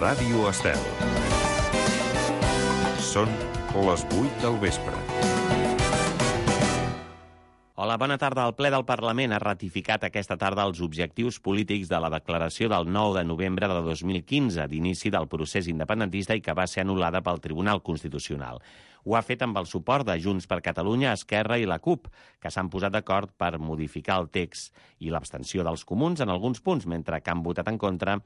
Ràdio Estel. Són les 8 del vespre. Hola, bona tarda. El ple del Parlament ha ratificat aquesta tarda els objectius polítics de la declaració del 9 de novembre de 2015, d'inici del procés independentista i que va ser anul·lada pel Tribunal Constitucional. Ho ha fet amb el suport de Junts per Catalunya, Esquerra i la CUP, que s'han posat d'acord per modificar el text i l'abstenció dels comuns en alguns punts, mentre que han votat en contra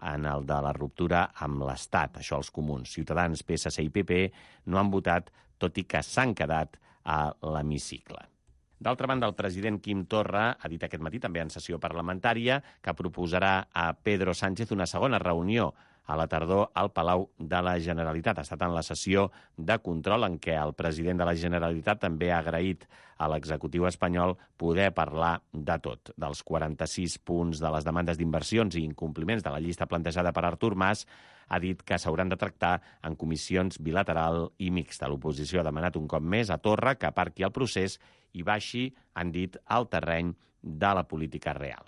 en el de la ruptura amb l'Estat, això els comuns. Ciutadans, PSC i PP no han votat, tot i que s'han quedat a l'hemicicle. D'altra banda, el president Quim Torra ha dit aquest matí, també en sessió parlamentària, que proposarà a Pedro Sánchez una segona reunió a la tardor al Palau de la Generalitat. Ha estat en la sessió de control en què el president de la Generalitat també ha agraït a l'executiu espanyol poder parlar de tot, dels 46 punts de les demandes d'inversions i incompliments de la llista plantejada per Artur Mas. Ha dit que s'hauran de tractar en comissions bilateral i mixta. L'oposició ha demanat un cop més a Torra que aparqui el procés i baixi, han dit, al terreny de la política real.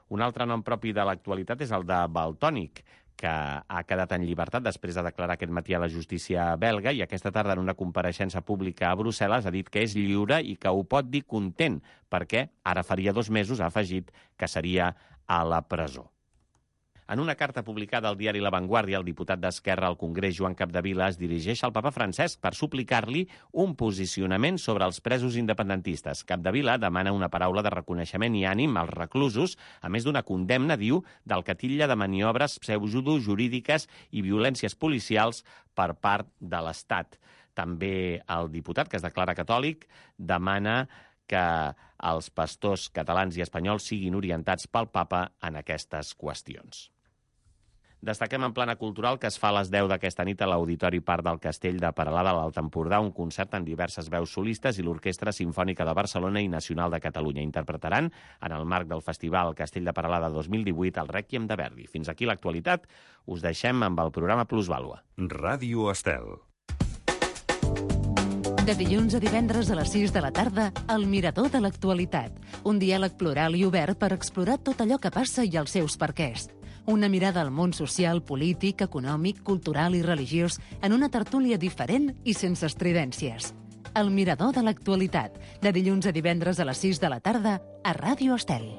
Un altre nom propi de l'actualitat és el de Valtònyc, que ha quedat en llibertat després de declarar aquest matí a la justícia belga i aquesta tarda en una compareixença pública a Brussel·les ha dit que és lliure i que ho pot dir content, perquè ara faria 2 mesos ha afegit que seria a la presó. En una carta publicada al diari La Vanguardia, el diputat d'Esquerra al Congrés, Joan Capdevila, es dirigeix al papa Francesc per suplicar-li un posicionament sobre els presos independentistes. Capdevila demana una paraula de reconeixement i ànim als reclusos, a més d'una condemna, diu, del que titlla de maniobres pseudojurídiques i violències policials per part de l'Estat. També el diputat, que es declara catòlic, demana que els pastors catalans i espanyols siguin orientats pel papa en aquestes qüestions. Destaquem en plana cultural que es fa a les 10 d'aquesta nit a l'Auditori Parc del Castell de Peralada, a l'Alt Empordà, un concert amb diverses veus solistes i l'Orquestra Simfònica de Barcelona i Nacional de Catalunya. Interpretaran, en el marc del Festival Castell de Peralada 2018, el Rèquiem de Verdi. Fins aquí l'actualitat. Us deixem amb el programa Plusvàlua. Ràdio Estel. De dilluns a divendres a les 6 de la tarda, El Mirador de l'Actualitat. Un diàleg plural i obert per explorar tot allò que passa i els seus perquès. Una mirada al món social, polític, econòmic, cultural i religiós en una tertúlia diferent i sense estridències. El Mirador de l'Actualitat. De dilluns a divendres a les 6 de la tarda a Ràdio Estel.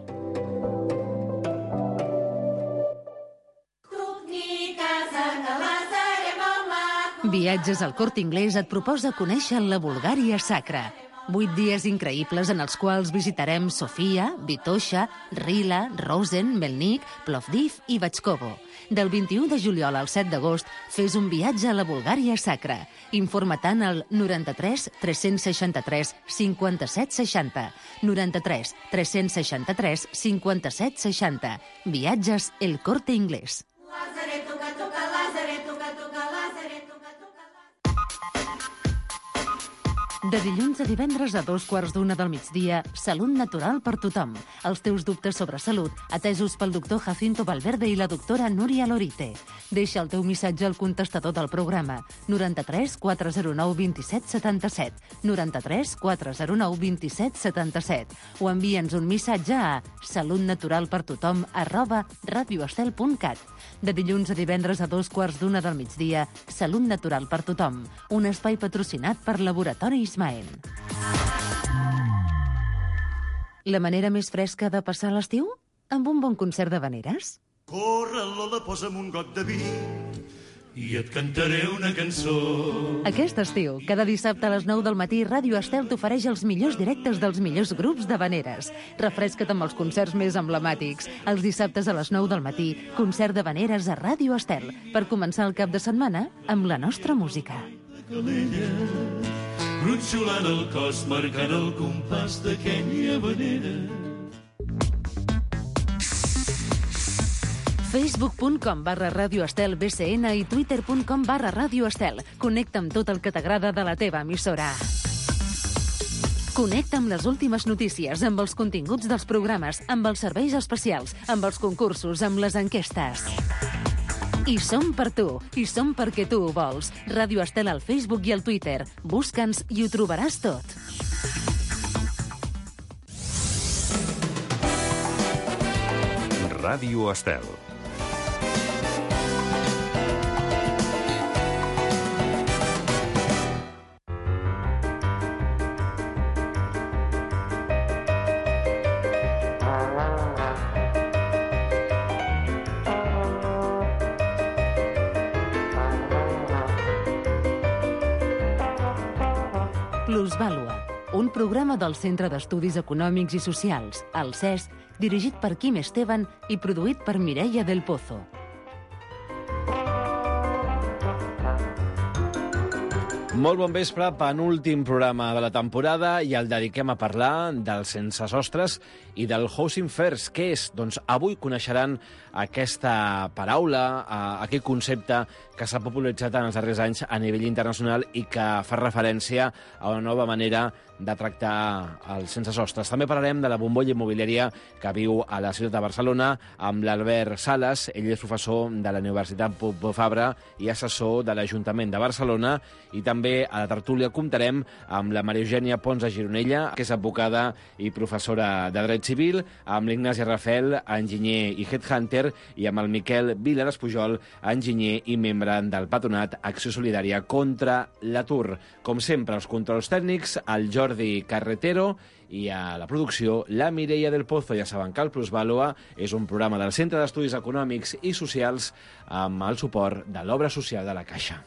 Viatges al Corte Inglés et proposa conèixer la Bulgària sacra. 8 dies increïbles en els quals visitarem Sofia, Vitoša, Rila, Rosen, Melnik, Plovdiv i Batxkovo. Del 21 de juliol al 7 d'agost, fes un viatge a la Bulgària sacra. Informa-te'n al 93 363 57 60. 93 363 57 60. Viatges El Corte Inglés. De dilluns a divendres a 2:15 del migdia, Salut Natural per tothom. Els teus dubtes sobre salut, atesos pel doctor Jacinto Valverde i la doctora Núria Lorite. Deixa el teu missatge al contestador del programa 93 409 27 77, 93 409 27 77, o envia'ns un missatge a salutnaturalpertothom@radioestel.cat. De dilluns a divendres a 2:15 del migdia, Salut Natural per tothom, un espai patrocinat per Laboratori Ismael. La manera més fresca de passar l'estiu? Amb un bon concert d'havaneres? Corre, Lola, posa'm un got de vi i et cantaré una cançó. Aquest estiu, cada dissabte a les 9 del matí, Ràdio Estel t'ofereix els millors directes dels millors grups d'havaneres. Refresca't amb els concerts més emblemàtics. Els dissabtes a les 9 del matí, concert d'havaneres a Ràdio Estel, per començar el cap de setmana amb la nostra música. Gronxolant el cos, marcant el compàs d'aquella havanera. Facebook.com/Ràdio Estel BCN i Twitter.com/Ràdio Estel. Connecta amb tot el que t'agrada de la teva emissora. Connecta amb les últimes notícies, amb els continguts dels programes, amb els serveis especials, amb els concursos, amb les enquestes. I som per tu, i som perquè tu ho vols. Ràdio Estel al Facebook i al Twitter. Busca'ns i ho trobaràs tot. Ràdio Estel. Plusvàlua, un programa del Centre d'Estudis Econòmics i Socials, el CES, dirigit per Quim Esteban i produït per Mireia del Pozo. Molt bon vespre, penúltim programa de la temporada i el dediquem a parlar dels sense sostres i del Housing First. Què és? Doncs avui coneixeran aquesta paraula, aquest concepte que s'ha popularitzat en els darrers anys a nivell internacional i que fa referència a una nova manera de tractar els sense sostres. També parlarem de la bombolla immobiliària que viu a la ciutat de Barcelona amb l'Albert Sales. Ell és professor de la Universitat Pompeu Fabra i assessor de l'Ajuntament de Barcelona. I també a la tertúlia comptarem amb la Maria Eugènia Ponsa Gironella, que és advocada i professora de Dret Civil, amb l'Ignasi Rafel, enginyer i headhunter, i amb el Miquel Vilares Pujol, enginyer i membre del patronat Acció Solidària contra l'Atur. Com sempre, els controls tècnics, el Jordi Carretero, i a la producció, la Mireia del Pozo. Ja saben que el Plusvàlua és un programa del Centre d'Estudis Econòmics i Socials amb el suport de l'Obra Social de la Caixa.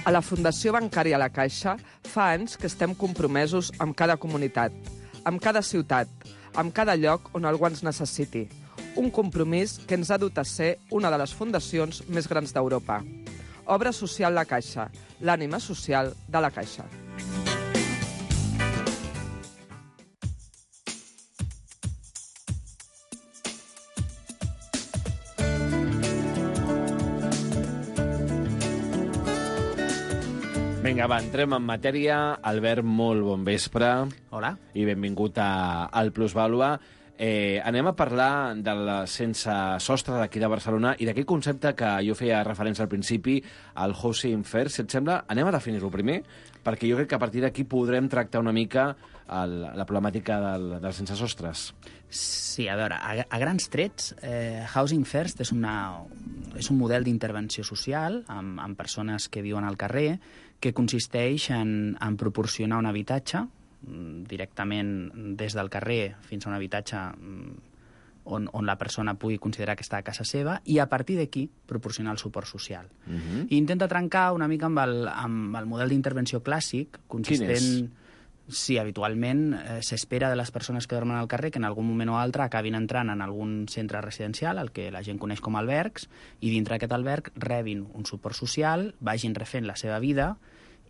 A la Fundació Bancària La Caixa fa anys que estem compromesos amb cada comunitat, amb cada ciutat, amb cada lloc on algú ens necessiti. Un compromís que ens ha dut a ser una de les fundacions més grans d'Europa. Obra Social La Caixa, l'ànima social de la Caixa. Vinga, va, entrem en matèria. Albert, molt bon vespre. Hola. I benvingut al Plusvàlua. Anem a parlar del sense sostre d'aquí de Barcelona i d'aquell concepte que jo feia referència al principi, al Housing First. Si et sembla, anem a definir-ho primer, perquè jo crec que a partir d'aquí podrem tractar una mica la problemàtica dels sense sostres. Sí, a veure, a grans trets, Housing First és un model d'intervenció social amb persones que viuen al carrer, que consisteix en proporcionar un habitatge directament des del carrer fins a un habitatge on la persona pugui considerar que està a casa seva i a partir d'aquí proporcionar el suport social. I intenta trencar una mica amb el model d'intervenció clàssic consistent... Quin és? Sí, habitualment s'espera de les persones que dormen al carrer que en algun moment o altre acabin entrant en algun centre residencial, el que la gent coneix com albergs, i dintre d'aquest alberg rebin un suport social, vagin refent la seva vida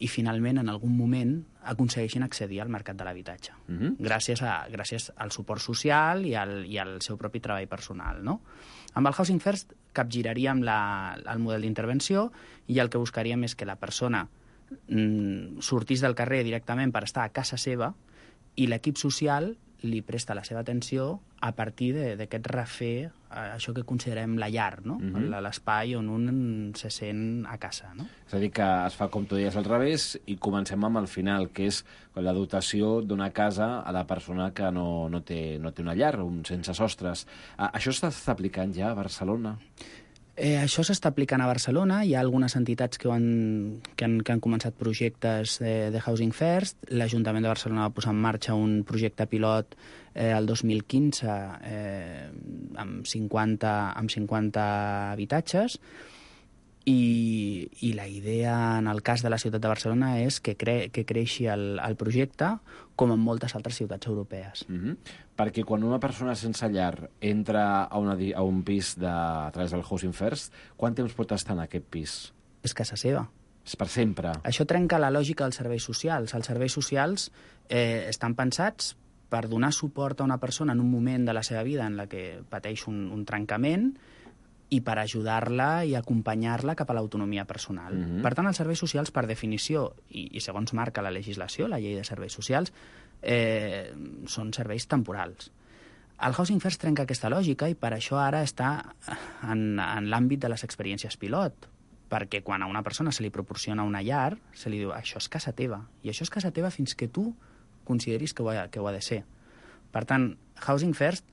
i finalment en algun moment aconsegueixin accedir al mercat de l'habitatge. Gràcies al suport social i al seu propi treball personal, no? Amb el Housing First capgiraríem el model d'intervenció i el que buscaríem és que la persona sortís del carrer directament per estar a casa seva i l'equip social li presta la seva atenció a partir d'aquest refer, això que considerem la llar, no? L'espai on un se sent a casa. No? És a dir, que es fa, com tu deies, al revés i comencem amb el final, que és la dotació d'una casa a la persona que no té una llar, un sense sostres. Això s'està aplicant ja a Barcelona? Això s'està aplicant a Barcelona. Hi ha algunes entitats que han començat projectes de Housing First. L'Ajuntament de Barcelona va posar en marxa un projecte pilot el 2015 amb 50 habitatges i la idea en el cas de la ciutat de Barcelona és que creixi el projecte com en moltes altres ciutats europees. Perquè quan una persona sense llar entra a un pis a través del Housing First, quant temps pot estar en aquest pis? És casa seva. És per sempre. Això trenca la lògica dels serveis socials. Els serveis socials estan pensats per donar suport a una persona en un moment de la seva vida en la que pateix un trencament i per ajudar-la i acompanyar-la cap a l'autonomia personal. Per tant, els serveis socials, per definició, i segons marca la legislació, la llei de serveis socials, són serveis temporals. El Housing First trenca aquesta lògica i per això ara està en l'àmbit de les experiències pilot, perquè quan a una persona se li proporciona una llar, se li diu, això és casa teva, i això és casa teva fins que tu consideris que ho ha de ser. Per tant, Housing First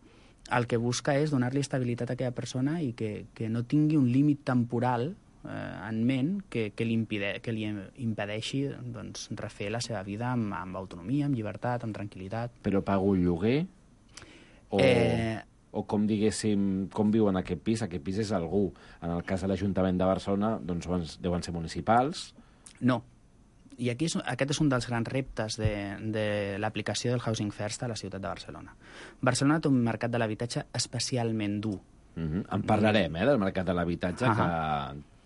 el que busca és donar-li estabilitat a aquella persona i que no tingui un límit temporal en ment que li impedeixi doncs, refer la seva vida amb autonomia, amb llibertat, amb tranquil·litat. Però pago un lloguer o com, diguéssim, com viu en aquest pis? Aquest pis és algú. En el cas de l'Ajuntament de Barcelona, doncs deuen ser municipals. No. I aquí aquest és un dels grans reptes de l'aplicació del Housing First a la ciutat de Barcelona. Barcelona té un mercat de l'habitatge especialment dur. En parlarem, del mercat de l'habitatge, que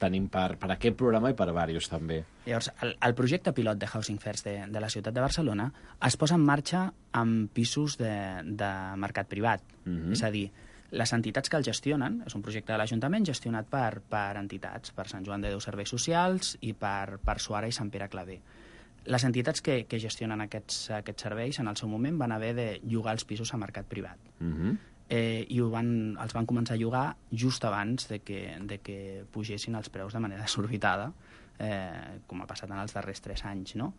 tenim per aquest programa i per diversos, també. Llavors, el projecte pilot de Housing First de la ciutat de Barcelona es posa en marxa amb pisos de mercat privat. És a dir, les entitats que el gestionen, és un projecte de l'Ajuntament gestionat per entitats, per Sant Joan de Déu Serveis Socials i per Suara i Sant Pere Claver. Les entitats que gestionen aquests serveis en el seu moment van haver de llogar els pisos a mercat privat. I els van començar a llogar just abans de que pugessin els preus de manera desorbitada, com ha passat en els darrers 3 anys, no?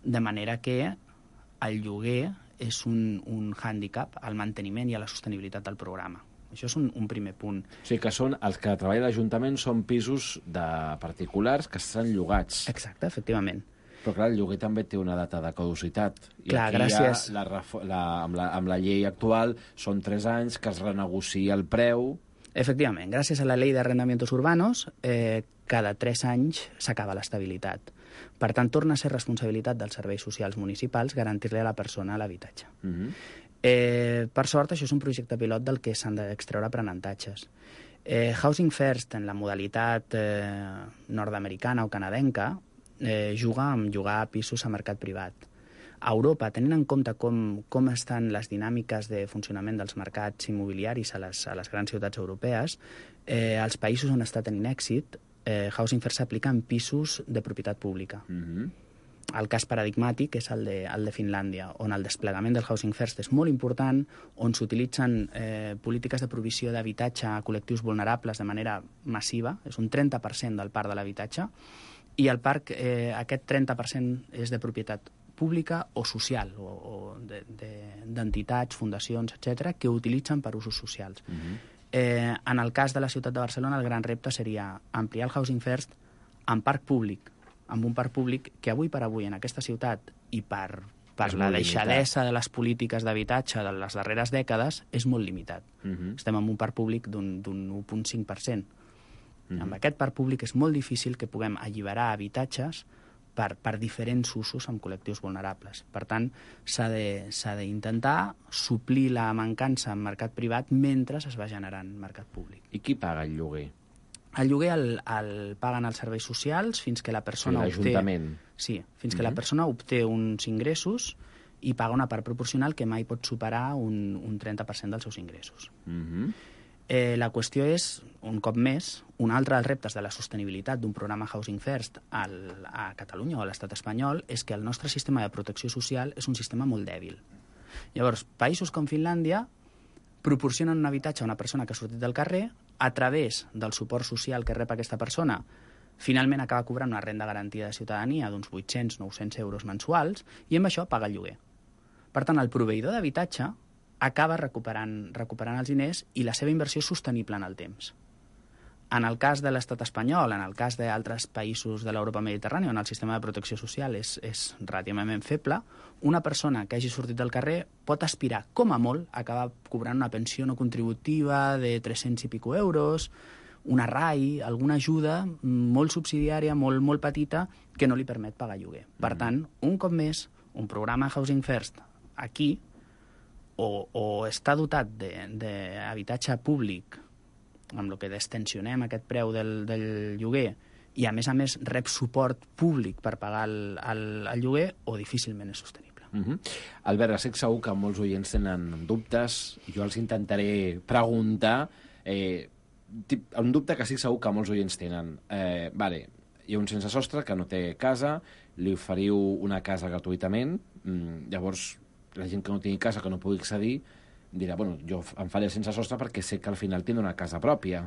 De manera que el lloguer és un hàndicap al manteniment i a la sostenibilitat del programa. Això és un primer punt. O sigui que els que treballa l'Ajuntament són pisos de particulars que estan llogats. Exacte, efectivament. Però clar, el lloguer també té una data de caducitat. I clar, aquí gràcies. Amb la llei actual són 3 anys que es renegocia el preu. Efectivament, gràcies a la Ley de Arrendamientos Urbanos, cada 3 anys s'acaba l'estabilitat. Per tant, torna a ser responsabilitat dels serveis socials municipals garantir-li a la persona l'habitatge. Per sort, això és un projecte pilot del que s'han d'extreure aprenentatges. Housing First, en la modalitat nord-americana o canadenca, juga amb llogar pisos a mercat privat. A Europa, tenint en compte com estan les dinàmiques de funcionament dels mercats immobiliaris a les grans ciutats europees, als països on està tenint èxit, Housing First s'aplica en pisos de propietat pública. El cas paradigmàtic és el de Finlàndia, on el desplegament del Housing First és molt important, on s'utilitzen polítiques de provisió d'habitatge a col·lectius vulnerables de manera massiva, és un 30% del parc de l'habitatge, i el parc, aquest 30% és de propietat pública o social, o d'entitats, fundacions, etc., que utilitzen per usos socials. En el cas de la ciutat de Barcelona, el gran repte seria ampliar el Housing First en parc públic, amb un parc públic que avui per avui en aquesta ciutat i per la deixadesa de les polítiques d'habitatge de les darreres dècades és molt limitat. Estem en un parc públic d'un 1,5%. Amb aquest parc públic és molt difícil que puguem alliberar habitatges per diferents usos amb col·lectius vulnerables. Per tant, s'ha d'intentar suplir la mancança en mercat privat mentre es va generant mercat públic. I qui paga el lloguer? El lloguer el paguen els serveis socials fins que la persona l'Ajuntament. Sí, fins que la persona obté uns ingressos i paga una part proporcional que mai pot superar un 30% dels seus ingressos. La qüestió és, un cop més, un altre dels reptes de la sostenibilitat d'un programa Housing First a Catalunya o a l'estat espanyol és que el nostre sistema de protecció social és un sistema molt dèbil. Llavors, països com Finlàndia proporcionen un habitatge a una persona que ha sortit del carrer, a través del suport social que rep aquesta persona, finalment acaba cobrant una renda garantida de ciutadania d'uns 800-900 euros mensuals i amb això paga el lloguer. Per tant, el proveïdor d'habitatge acaba recuperant els diners i la seva inversió és sostenible en el temps. En el cas de l'estat espanyol, en el cas d'altres països de l'Europa mediterrània, on el sistema de protecció social és relativament feble, una persona que hagi sortit del carrer pot aspirar, com a molt, a acabar cobrant una pensió no contributiva de 300 i pico euros, una RAI, alguna ajuda molt subsidiària, molt petita, que no li permet pagar lloguer. Per tant, un cop més, un programa Housing First aquí o està dotat d'habitatge públic, amb el que destensionem aquest preu del lloguer, i a més rep suport públic per pagar el lloguer, o difícilment és sostenible. Albert, estic segur que molts oients tenen dubtes, jo els intentaré preguntar. Un dubte que estic segur que molts oients tenen. Hi ha un sense sostre que no té casa, li oferiu una casa gratuïtament, llavors la gent que no tingui casa, que no pugui accedir, dirà, bueno, jo em faré sense sostre perquè sé que al final tindré una casa pròpia.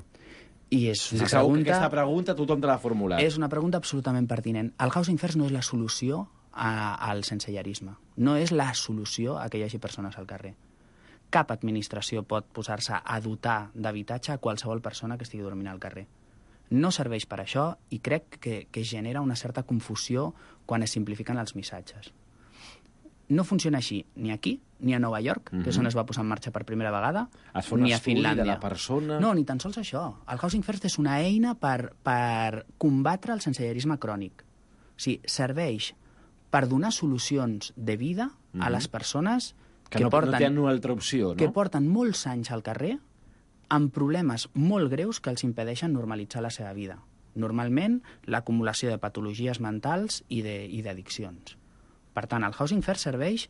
I és una pregunta... Aquesta pregunta tothom te l'ha formulat. És una pregunta absolutament pertinent. El Housing First no és la solució al sensellarisme. No és la solució a que hi hagi persones al carrer. Cap administració pot posar-se a dotar d'habitatge a qualsevol persona que estigui dormint al carrer. No serveix per això i crec que genera una certa confusió quan es simplifiquen els missatges. no funciona així ni aquí, ni a Nova York, que és on es va posar en marxa per primera vegada, Es fa un ni a estudi Finlàndia. de la persona... No, ni tan sols això. El Housing First és una eina per combatre el sensellarisme crònic. O sigui, serveix per donar solucions de vida a les persones que no tenen una altra opció, no? que porten molts anys al carrer amb problemes molt greus que els impedeixen normalitzar la seva vida. Normalment, l'acumulació de patologies mentals i d'addiccions. Per tant, el Housing First serveix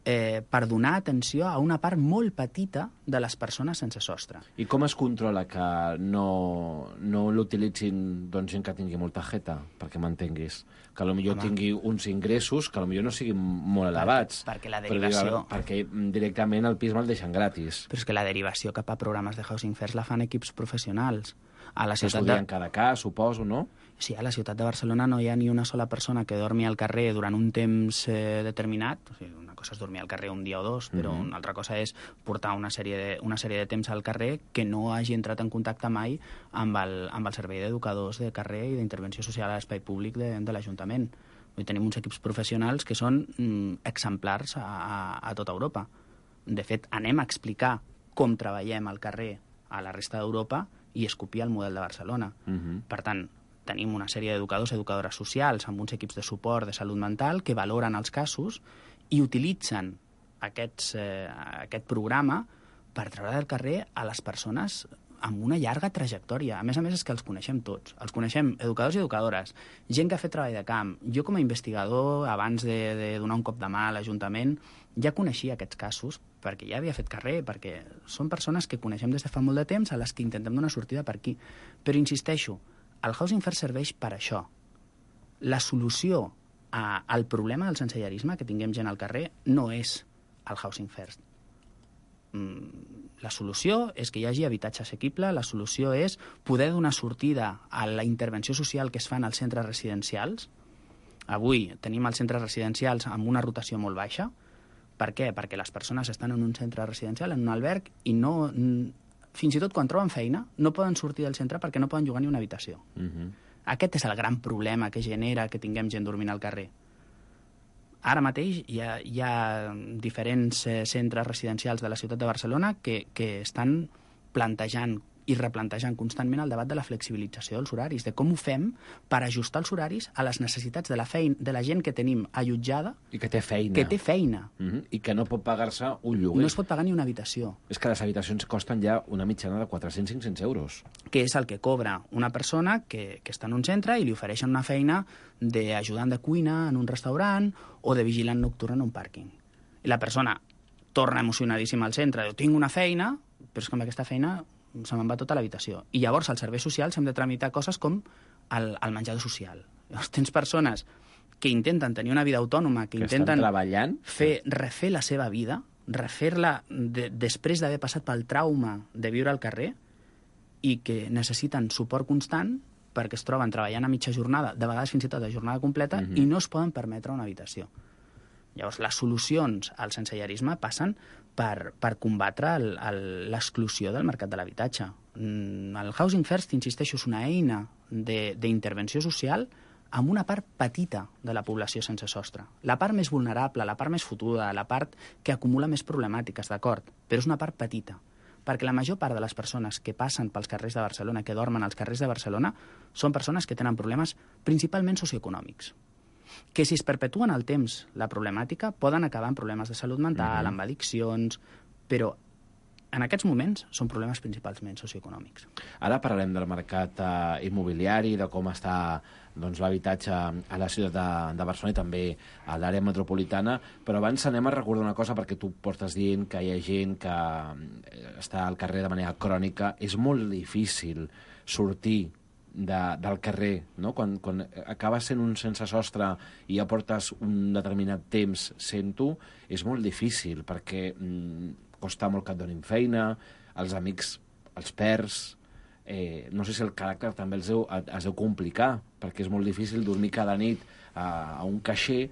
per donar atenció a una part molt petita de les persones sense sostre. I com es controla que no l'utilitzin gent que tingui molta jeta, perquè m'entenguis? Que potser tingui uns ingressos que potser no siguin molt elevats. Perquè la derivació... Perquè directament el pis me'l deixen gratis. Però és que la derivació cap a programes de Housing First la fan equips professionals. A la Que estudien cada cas, suposo, no? Sí, a la ciutat de Barcelona no hi ha ni una sola persona que dormi al carrer durant un temps determinat. O sigui, una cosa és dormir al carrer un dia o dos, però una altra cosa és portar una sèrie de temps al carrer que no hagi entrat en contacte mai amb el servei d'educadors de carrer i d'intervenció social a l'espai públic de l'Ajuntament. Tenim uns equips professionals que són exemplars a tota Europa. De fet, anem a explicar com treballem al carrer a la resta d'Europa i es copia el model de Barcelona. Per tant, tenim una sèrie d'educadors i educadores socials amb uns equips de suport de salut mental que valoren els casos i utilitzen aquest programa per treure del carrer a les persones amb una llarga trajectòria. A més és que els coneixem tots. Els coneixem educadors i educadores, gent que ha fet treball de camp. Jo, com a investigador, abans de donar un cop de mà a l'Ajuntament, ja coneixia aquests casos perquè ja havia fet carrer, perquè són persones que coneixem des de fa molt de temps a les que intentem donar sortida per aquí. Però insisteixo, el Housing First serveix per això. La solució al problema del sensellarisme que tinguem gent al carrer no és el Housing First. La solució és que hi hagi habitatge assequible, la solució és poder donar sortida a la intervenció social que es fa als centres residencials. Avui tenim els centres residencials amb una rotació molt baixa. Per què? Perquè les persones estan en un centre residencial, en un alberg, i no, fins i tot quan troben feina, no poden sortir del centre perquè no poden llogar ni una habitació. Aquest és el gran problema que genera que tinguem gent dormint al carrer. Ara mateix hi ha diferents centres residencials de la ciutat de Barcelona que estan plantejant i replantejant constantment el debat de la flexibilització dels horaris, de com ho fem per ajustar els horaris a les necessitats de la gent que tenim allotjada i que té feina. I que no pot pagar-se un lloguer. No es pot pagar ni una habitació. És que les habitacions costen ja una mitjana de 400-500 euros. Que és el que cobra una persona que està en un centre i li ofereixen una feina d'ajudant de cuina en un restaurant o de vigilant nocturn en un pàrquing. I la persona torna emocionadíssima al centre, diu, tinc una feina, però és que amb aquesta feina se me'n va tota l'habitació. I llavors als serveis socials hem de tramitar coses com el menjador social. Llavors tens persones que intenten tenir una vida autònoma, que intenten refer la seva vida, refer-la després d'haver passat pel trauma de viure al carrer i que necessiten suport constant perquè es troben treballant a mitja jornada, de vegades fins i tot a jornada completa, i no es poden permetre una habitació. Llavors, les solucions al sensellarisme passen per combatre l'exclusió del mercat de l'habitatge. El Housing First, insisteixo, és una eina d'intervenció social amb una part petita de la població sense sostre. La part més vulnerable, la part més fotuda, la part que acumula més problemàtiques, d'acord, però és una part petita. Perquè la major part de les persones que passen pels carrers de Barcelona, que dormen als carrers de Barcelona, són persones que tenen problemes principalment socioeconòmics, que si es perpetuen al temps la problemàtica poden acabar amb problemes de salut mental, amb addiccions, però en aquests moments són problemes principalment socioeconòmics. Ara parlarem del mercat immobiliari, de com està l'habitatge a la ciutat de Barcelona i també a l'àrea metropolitana, però abans anem a recordar una cosa, perquè tu portes dient que hi ha gent que està al carrer de manera crònica. És molt difícil sortir del carrer, no? Quan acabes sent un sense sostre i ja portes un determinat temps sent-ho, és molt difícil perquè costa molt que et donin feina, els amics els perds, no sé si el caràcter també es deu complicar, perquè és molt difícil dormir cada nit a un caixer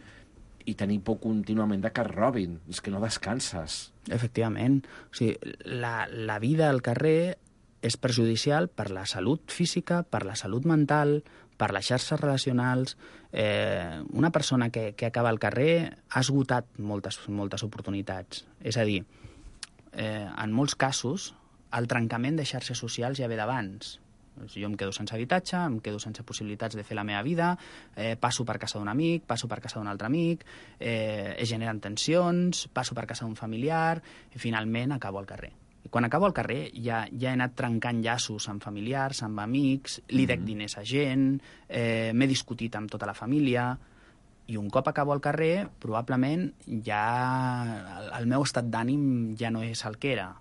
i tenir por contínuament de que et robin, és que no descanses. Efectivament. O sigui, la vida al carrer és perjudicial per la salut física, per la salut mental, per les xarxes relacionals. Una persona que acaba al carrer ha esgotat moltes oportunitats. És a dir, en molts casos, el trencament de xarxes socials ja ve d'abans. Jo em quedo sense habitatge, em quedo sense possibilitats de fer la meva vida, passo per casa d'un amic, passo per casa d'un altre amic, es generen tensions, passo per casa d'un familiar, i finalment acabo al carrer. I quan acabo al carrer ja he anat trencant llaços amb familiars, amb amics, li dec diners a gent, m'he discutit amb tota la família, i un cop acabo al carrer, probablement ja el meu estat d'ànim ja no és el que era.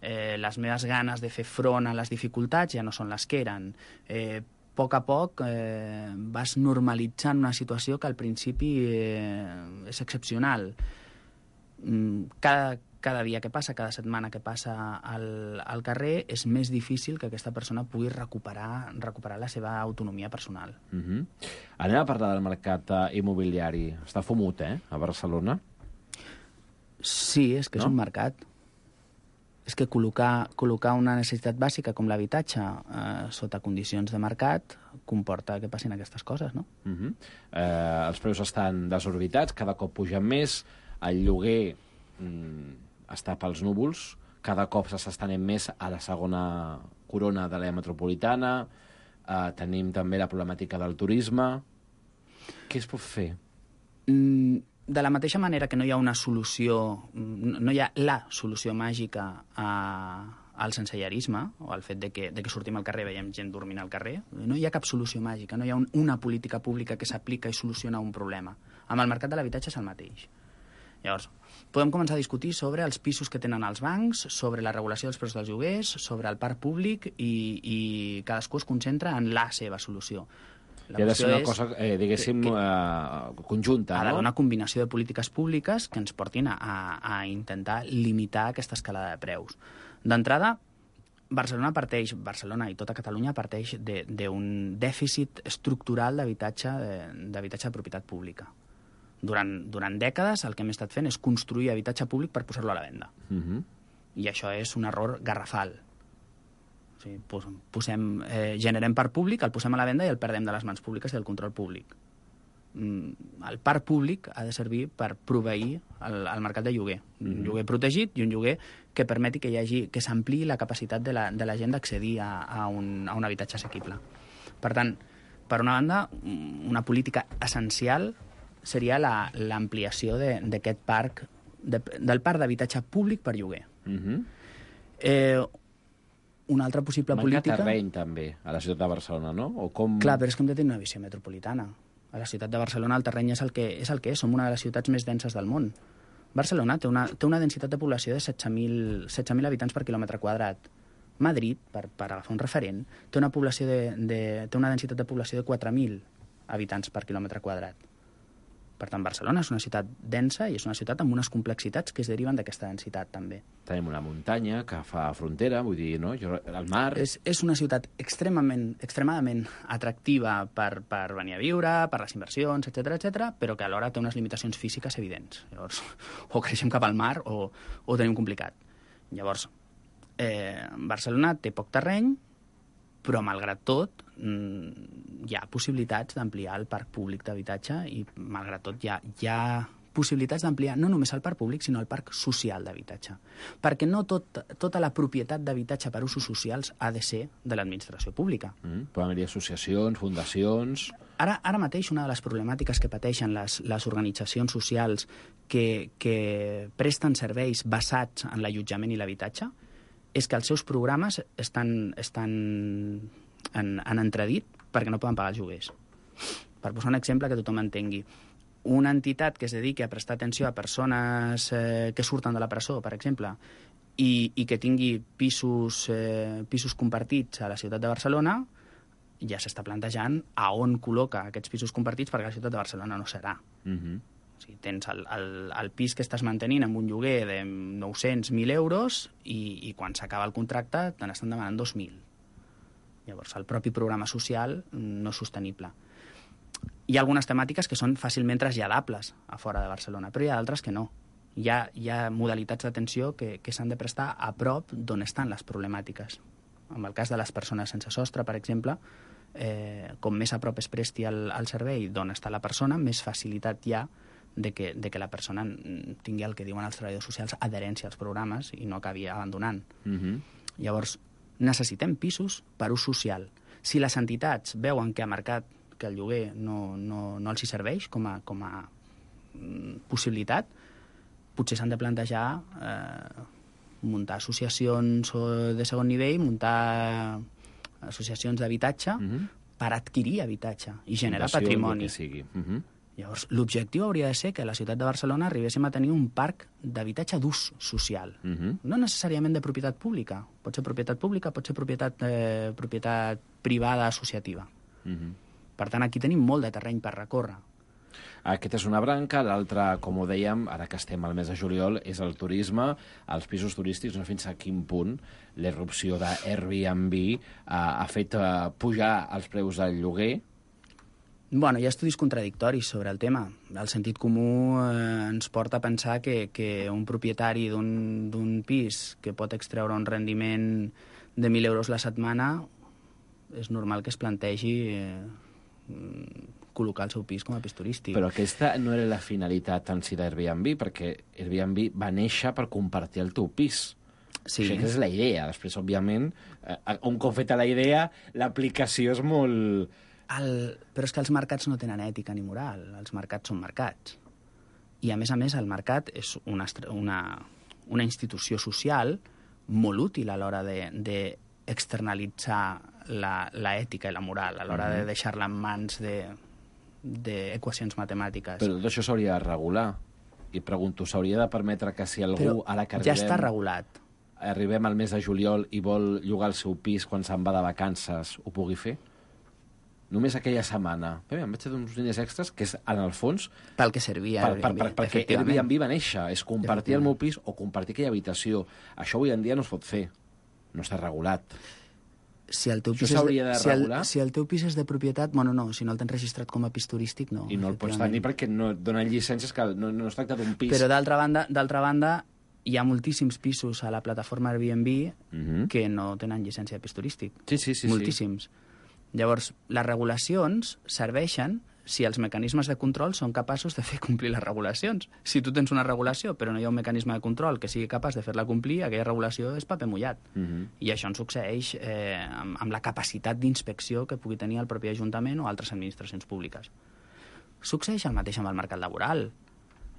Les meves ganes de fer front a les dificultats ja no són les que eren. A poc vas normalitzant una situació que al principi és excepcional. Cada dia que passa, cada setmana que passa al carrer, és més difícil que aquesta persona pugui recuperar la seva autonomia personal. Anem a parlar del mercat immobiliari. Està fumut, a Barcelona? Sí, és que és un mercat. És que col·locar una necessitat bàsica com l'habitatge sota condicions de mercat comporta que passin aquestes coses, no? Els preus estan desorbitats, cada cop pugen més, el lloguer està pels núvols, cada cop s'està estenent més a la segona corona de l'àrea metropolitana, tenim també la problemàtica del turisme. Què es pot fer? De la mateixa manera que no hi ha una solució, no hi ha la solució màgica al sensellarisme, o al fet de que sortim al carrer i veiem gent dormint al carrer, no hi ha cap solució màgica, no hi ha una política pública que s'aplica i soluciona un problema. Amb el mercat de l'habitatge és el mateix. Llavors, podem començar a discutir sobre els pisos que tenen els bancs, sobre la regulació dels preus dels lloguers, sobre el parc públic, i cadascú es concentra en la seva solució. I ha de ser una cosa, diguéssim, conjunta, no? Ha d'haver una combinació de polítiques públiques que ens portin a intentar limitar aquesta escalada de preus. D'entrada, Barcelona i tota Catalunya parteix d'un dèficit estructural d'habitatge de propietat pública. Durant dècades el que hem estat fent és construir habitatge públic per posar-lo a la venda. I això és un error garrafal. O sigui, generem parc públic, el posem a la venda i el perdem de les mans públiques i del control públic. El parc públic ha de servir per proveir el mercat de lloguer. Un lloguer protegit i un lloguer que permeti que s'ampliï la capacitat de la gent d'accedir a un habitatge assequible. Per tant, per una banda, una política essencial seria l'ampliació d'aquest parc, del parc d'habitatge públic per lloguer. Una altra possible política... Manca terreny, també, a la ciutat de Barcelona, no? Clar, però és que hem de tenir una visió metropolitana. A la ciutat de Barcelona el terreny és el que és. Som una de les ciutats més denses del món. Barcelona té una densitat de població de 16.000 habitants per quilòmetre quadrat. Madrid, per agafar un referent, té una densitat de població de 4.000 habitants per quilòmetre quadrat. Per tant, Barcelona és una ciutat densa i és una ciutat amb unes complexitats que es deriven d'aquesta densitat, també. Tenim una muntanya que fa frontera, vull dir, no? El mar... És una ciutat extremadament atractiva per venir a viure, per les inversions, etc., però que alhora té unes limitacions físiques evidents. Llavors, o creixem cap al mar o ho tenim complicat. Llavors, Barcelona té poc terreny, però, malgrat tot, hi ha possibilitats d'ampliar el parc públic d'habitatge i, malgrat tot, hi ha possibilitats d'ampliar no només el parc públic, sinó el parc social d'habitatge. Perquè no tota la propietat d'habitatge per usos socials ha de ser de l'administració pública. Poden haver-hi associacions, fundacions... Ara mateix una de les problemàtiques que pateixen les organitzacions socials que presten serveis basats en l'allotjament i l'habitatge és que els seus programes estan en entredit perquè no poden pagar els lloguers. Per posar un exemple que tothom entengui. Una entitat que es dediqui a prestar atenció a persones que surten de la presó, per exemple, i que tingui pisos compartits a la ciutat de Barcelona, ja s'està plantejant a on col·loca aquests pisos compartits perquè la ciutat de Barcelona no serà. O sigui, tens el pis que estàs mantenint amb un lloguer de 900.000 euros i quan s'acaba el contracte te n'estan demanant 2.000. Llavors, el propi programa social no és sostenible. Hi ha algunes temàtiques que són fàcilment traslladables a fora de Barcelona, però hi ha d'altres que no. Hi ha modalitats d'atenció que s'han de prestar a prop d'on estan les problemàtiques. En el cas de les persones sense sostre, per exemple, com més a prop es presti el servei d'on està la persona, més facilitat hi ha de que la persona tingui el que diuen els treballadors socials adherència als programes i no acabi abandonant. Llavors, necessitem pisos per ús social. Si les entitats veuen que ha marcat que el lloguer no els hi serveix com a possibilitat, potser s'han de plantejar muntar associacions de segon nivell, muntar associacions d'habitatge per adquirir habitatge i generar patrimoni. Llavors, l'objectiu hauria de ser que a la ciutat de Barcelona arribéssim a tenir un parc d'habitatge d'ús social. No necessàriament de propietat pública. Pot ser propietat pública, pot ser propietat privada associativa. Per tant, aquí tenim molt de terreny per recórrer. Aquesta és una branca, l'altra, com ho dèiem, ara que estem al mes de juliol, és el turisme, els pisos turístics, no fins a quin punt la irrupció d'Airbnb ha fet pujar els preus del lloguer. Bueno, hi ha estudis contradictoris sobre el tema. El sentit comú ens porta a pensar que un propietari d'un pis que pot extreure un rendiment de 1.000 euros la setmana és normal que es plantegi col·locar el seu pis com a pis turístic. Però aquesta no era la finalitat en si d'Airbnb, perquè Airbnb va néixer per compartir el teu pis. Sí. Això és la idea. Després, òbviament, un cop feta la idea, l'aplicació és molt... Però és que els mercats no tenen ètica ni moral. Els mercats són mercats. I, a més, el mercat és una institució social molt útil a l'hora d'externalitzar l'ètica i la moral, a l'hora de deixar-la en mans d'equacions matemàtiques. Però tot això s'hauria de regular. I pregunto, s'hauria de permetre que si algú, ara que arribem... Ja està regulat. Arribem al mes de juliol i vol llogar el seu pis quan se'n va de vacances, ho pugui fer? Només aquella setmana. Em vaig fer uns diners extras, que és, en el fons... Pel que servia Airbnb, perquè Airbnb va néixer, és compartir el meu pis o compartir aquella habitació. Això avui en dia no es pot fer. No està regulat. Si el teu pis s'hauria de regular? Si el teu pis és de propietat, bueno, no, si no el tens registrat com a pis turístic, no. I no el pots tenir perquè no et donen llicències, que no es tracta d'un pis. Però d'altra banda, hi ha moltíssims pisos a la plataforma Airbnb que no tenen llicència de pis turístic. Sí. Moltíssims. Llavors, les regulacions serveixen si els mecanismes de control són capaços de fer complir les regulacions. Si tu tens una regulació però no hi ha un mecanisme de control que sigui capaç de fer-la complir, aquella regulació és paper mullat. I això ens succeeix amb la capacitat d'inspecció que pugui tenir el propi Ajuntament o altres administracions públiques. Succeeix el mateix amb el mercat laboral.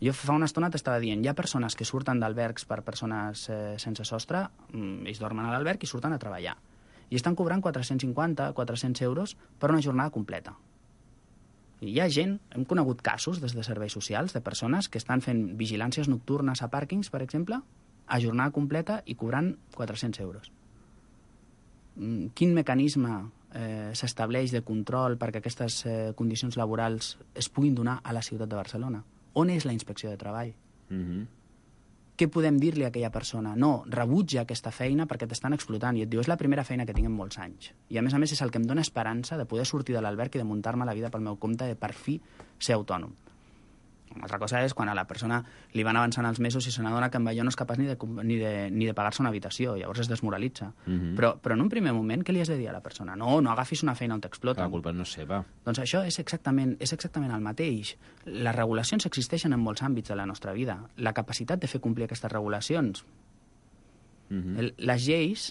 Jo fa una estona t'estava dient, hi ha persones que surten d'albergs per persones sense sostre, ells dormen a l'alberg i surten a treballar. I estan cobrant 450, 400 euros per una jornada completa. I hi ha gent, hem conegut casos des de serveis socials, de persones que estan fent vigilàncies nocturnes a pàrquings, per exemple, a jornada completa i cobrant 400 euros. Quin mecanisme s'estableix de control perquè aquestes condicions laborals es puguin donar a la ciutat de Barcelona? On és la inspecció de treball? Què podem dir-li a aquella persona? No, rebutja aquesta feina perquè t'estan explotant. I et diu, és la primera feina que tinc en molts anys. I a més és el que em dóna esperança de poder sortir de l'alberg i de muntar-me la vida pel meu compte, de per fi ser autònom. Una altra cosa és quan a la persona li van avançant els mesos i se n'adona que amb allò no és capaç ni de pagar-se una habitació, llavors es desmoralitza. Però en un primer moment, què li has de dir a la persona? No agafis una feina on t'exploten. La culpa no és seva. Doncs això és exactament el mateix. Les regulacions existeixen en molts àmbits de la nostra vida. La capacitat de fer complir aquestes regulacions. Les lleis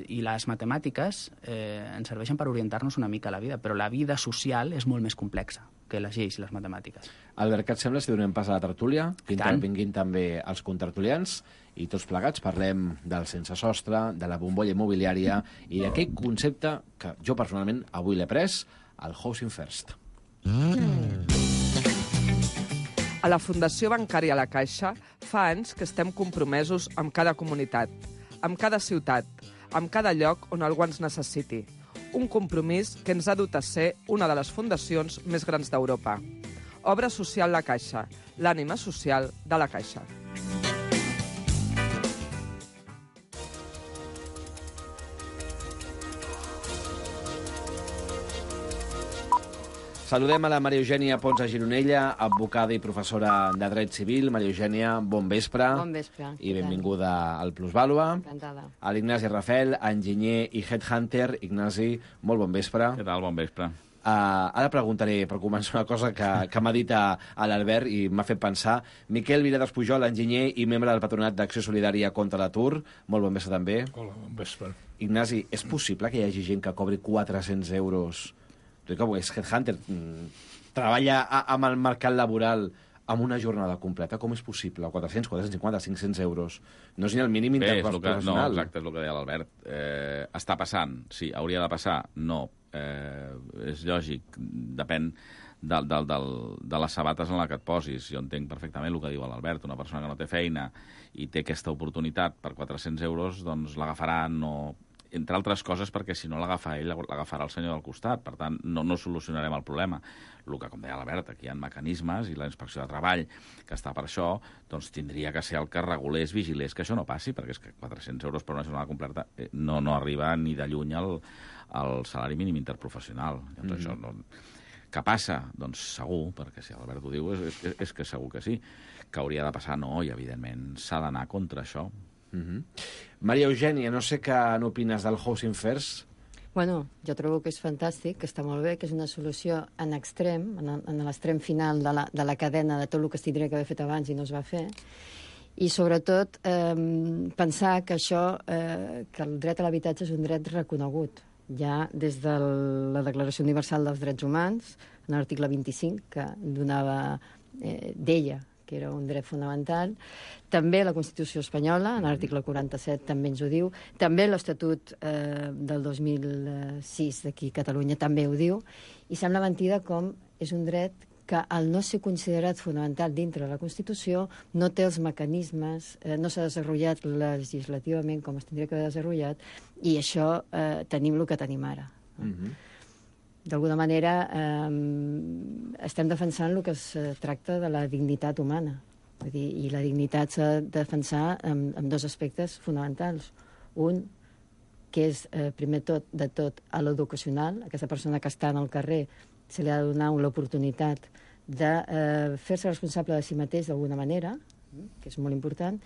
i les matemàtiques ens serveixen per orientar-nos una mica a la vida, però la vida social és molt més complexa que les lleis i les matemàtiques. Albert, què et sembla si donem pas a la tertúlia? Vinguin també els contertulians i tots plegats parlem del sense sostre, de la bombolla immobiliària i d'aquell concepte que jo personalment avui l'he pres, el Housing First. A la Fundació Bancària La Caixa fa anys que estem compromesos amb cada comunitat, amb cada ciutat, amb cada lloc on algú ens necessiti. Un compromís que ens ha dut a ser una de les fundacions més grans d'Europa. Obra Social La Caixa, l'ànima social de La Caixa. Saludem a la Maria Eugènia Ponsa Gironella, advocada i professora de Dret Civil. Maria Eugènia, bon vespre. Bon vespre. I benvinguda al Plusvàlua. Encantada. A l'Ignasi Rafel, enginyer i headhunter. Ignasi, molt bon vespre. Què tal? Bon vespre. Ara preguntaré, per començar, una cosa que m'ha dit a l'Albert i m'ha fet pensar. Miquel Viladas Pujol, enginyer i membre del Patronat d'Acció Solidària contra l'Atur. Molt bon vespre, també. Hola, bon vespre. Ignasi, és possible que hi hagi gent que cobri 400 euros... Tu que és headhunter, treballa amb el mercat laboral amb una jornada completa, com és possible? 400, 450, 500 euros. No és ni el mínim interprofessional. No, exacte, és el que deia l'Albert. Està passant, sí, hauria de passar, no. És lògic, depèn de les sabates en la que et posis. Jo entenc perfectament el que diu l'Albert. Una persona que no té feina i té aquesta oportunitat per 400 euros, doncs l'agafarà, no... entre altres coses perquè si no l'agafa ell, l'agafarà el senyor del costat. Per tant, no solucionarem el problema. El que, com deia l'Albert, aquí hi ha mecanismes i la Inspecció de Treball, que està per això, doncs tindria que ser el que regulés, vigilés que això no passi, perquè és que 400 euros per una jornada completa no arriba ni de lluny al salari mínim interprofessional. Llavors, això no... Que passa? Doncs segur, perquè si l'Albert ho diu és que segur que sí. Que hauria de passar, no, i evidentment s'ha d'anar contra això. Maria Eugènia, no sé què n'opines del Housing First. Bueno, jo trobo que és fantàstic, que està molt bé, que és una solució en extrem, en l'extrem final de la cadena de tot el que es tindria que haver fet abans i no es va fer. I sobretot pensar que això, que el dret a l'habitatge és un dret reconegut ja des de la Declaració Universal dels Drets Humans, en l'article 25, que deia que era un dret fonamental. També la Constitució espanyola, en l'article 47, també ens ho diu. També l'Estatut del 2006 d'aquí a Catalunya també ho diu. I sembla mentida com és un dret que, al no ser considerat fonamental dintre de la Constitució, no té els mecanismes, no s'ha desenvolupat legislativament com es tindria que haver desenvolupat, i això tenim el que tenim ara. D'alguna manera estem defensant el que es tracta de la dignitat humana. Vull dir, i la dignitat s'ha de defensar amb dos aspectes fonamentals. Un, que és, primer de tot, a l'educacional. Aquesta persona que està en el carrer se li ha de donar l'oportunitat de fer-se responsable de si mateix d'alguna manera, que és molt important,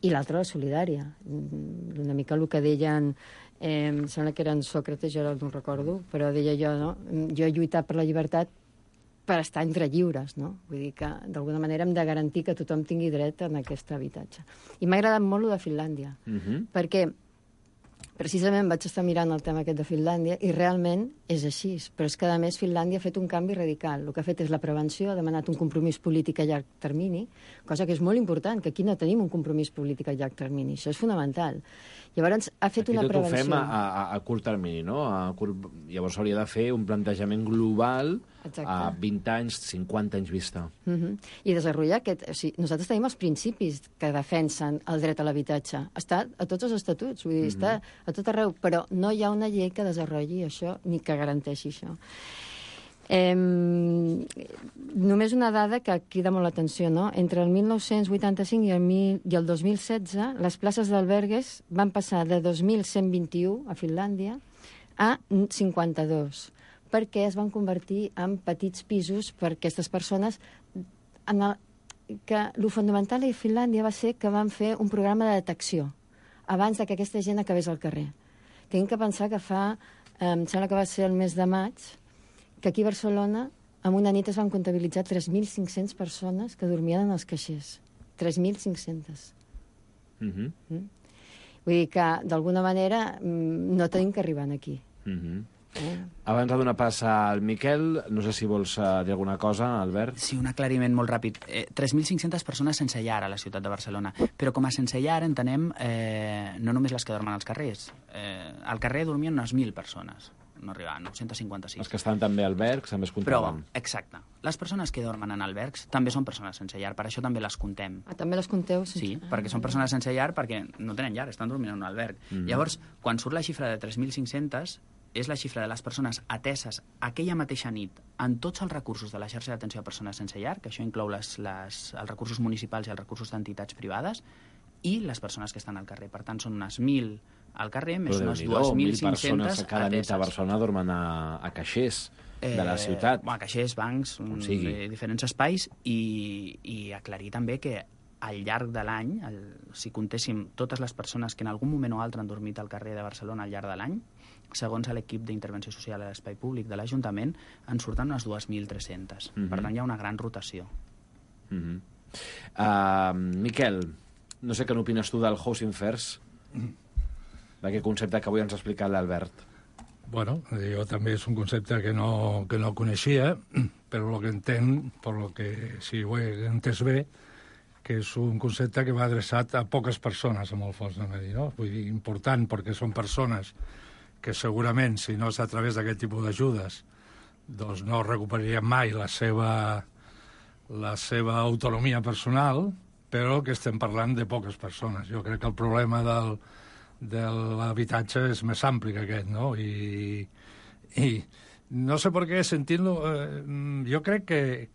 i l'altra, la solidària. Una mica el que deien... em sembla que eren Sòcrates, jo ara no ho recordo, però deia jo, no? Jo he lluitat per la llibertat per estar entre lliures, no? Vull dir que, d'alguna manera, hem de garantir que tothom tingui dret a aquest habitatge. I m'ha agradat molt el de Finlàndia, perquè precisament vaig estar mirant el tema aquest de Finlàndia i realment és així, però és que, a més, Finlàndia ha fet un canvi radical. El que ha fet és la prevenció, ha demanat un compromís polític a llarg termini, cosa que és molt important, que aquí no tenim un compromís polític a llarg termini. Això és fonamental. Llavors, ha fet una prevenció... Aquí tot ho fem a curt termini, no? Llavors s'hauria de fer un plantejament global a 20 anys, 50 anys vista. I desenvolupar aquest... O sigui, nosaltres tenim els principis que defensen el dret a l'habitatge. Està a tots els estatuts, vull dir, està a tot arreu, però no hi ha una llei que desenvolupi això ni que garanteixi això. Només una dada que crida molt l'atenció, no? Entre el 1985 i el 2016, les places d'albergues van passar de 2.121 a Finlàndia a 52, perquè es van convertir en petits pisos per aquestes persones. Que el fonamental a Finlàndia va ser que van fer un programa de detecció abans que aquesta gent acabés al carrer. Tinc que pensar que em sembla que va ser el mes de maig, que aquí a Barcelona, en una nit es van comptabilitzar 3.500 persones que dormien en els caixers. 3.500. Vull dir que, d'alguna manera, no tenim que arribar aquí. Abans de donar pas al Miquel, no sé si vols dir alguna cosa, Albert. Sí, un aclariment molt ràpid. 3.500 persones sense llar a la ciutat de Barcelona, però com a sense llar entenem no només les que dormen als carrers. Al carrer dormien unes 1.000 persones, no arribaven, 956. Els que estan també a albergs també es comptaven. Però, exacte, les persones que dormen en albergs també són persones sense llar, per això també les comptem. També les compteu? Sí, perquè són persones sense llar perquè no tenen llar, estan dormint en un alberg. Llavors, quan surt la xifra de 3.500, és la xifra de les persones ateses aquella mateixa nit en tots els recursos de la xarxa d'atenció a persones sense llar, que això inclou els recursos municipals i els recursos d'entitats privades, i les persones que estan al carrer. Per tant, són unes 1.000 al carrer, més unes 2.500 persones cada nit a Barcelona dormen a caixers de la ciutat. Caixers, bancs, diferents espais, i aclarir també que al llarg de l'any, si comptéssim totes les persones que en algun moment o altre han dormit al carrer de Barcelona al llarg de l'any, segons l'equip d'intervenció social a l'espai públic de l'Ajuntament, en surten unes 2.300. Per tant, hi ha una gran rotació. Miquel, no sé què n'opines tu del Housing First, d'aquest concepte que avui ens ha explicat l'Albert. Bueno, jo també és un concepte que no coneixia, però el que entenc, per lo que si ho he entès bé, que és un concepte que va adreçat a poques persones, amb el fons de medi, no? Vull dir, important, perquè són persones que segurament, si no és a través d'aquest tipus d'ajudes, doncs no recuperarien mai la seva autonomia personal, però que estem parlant de poques persones. Jo crec que el problema de l'habitatge és més ampli que aquest, no? I no sé per què, sentint-lo, jo crec que,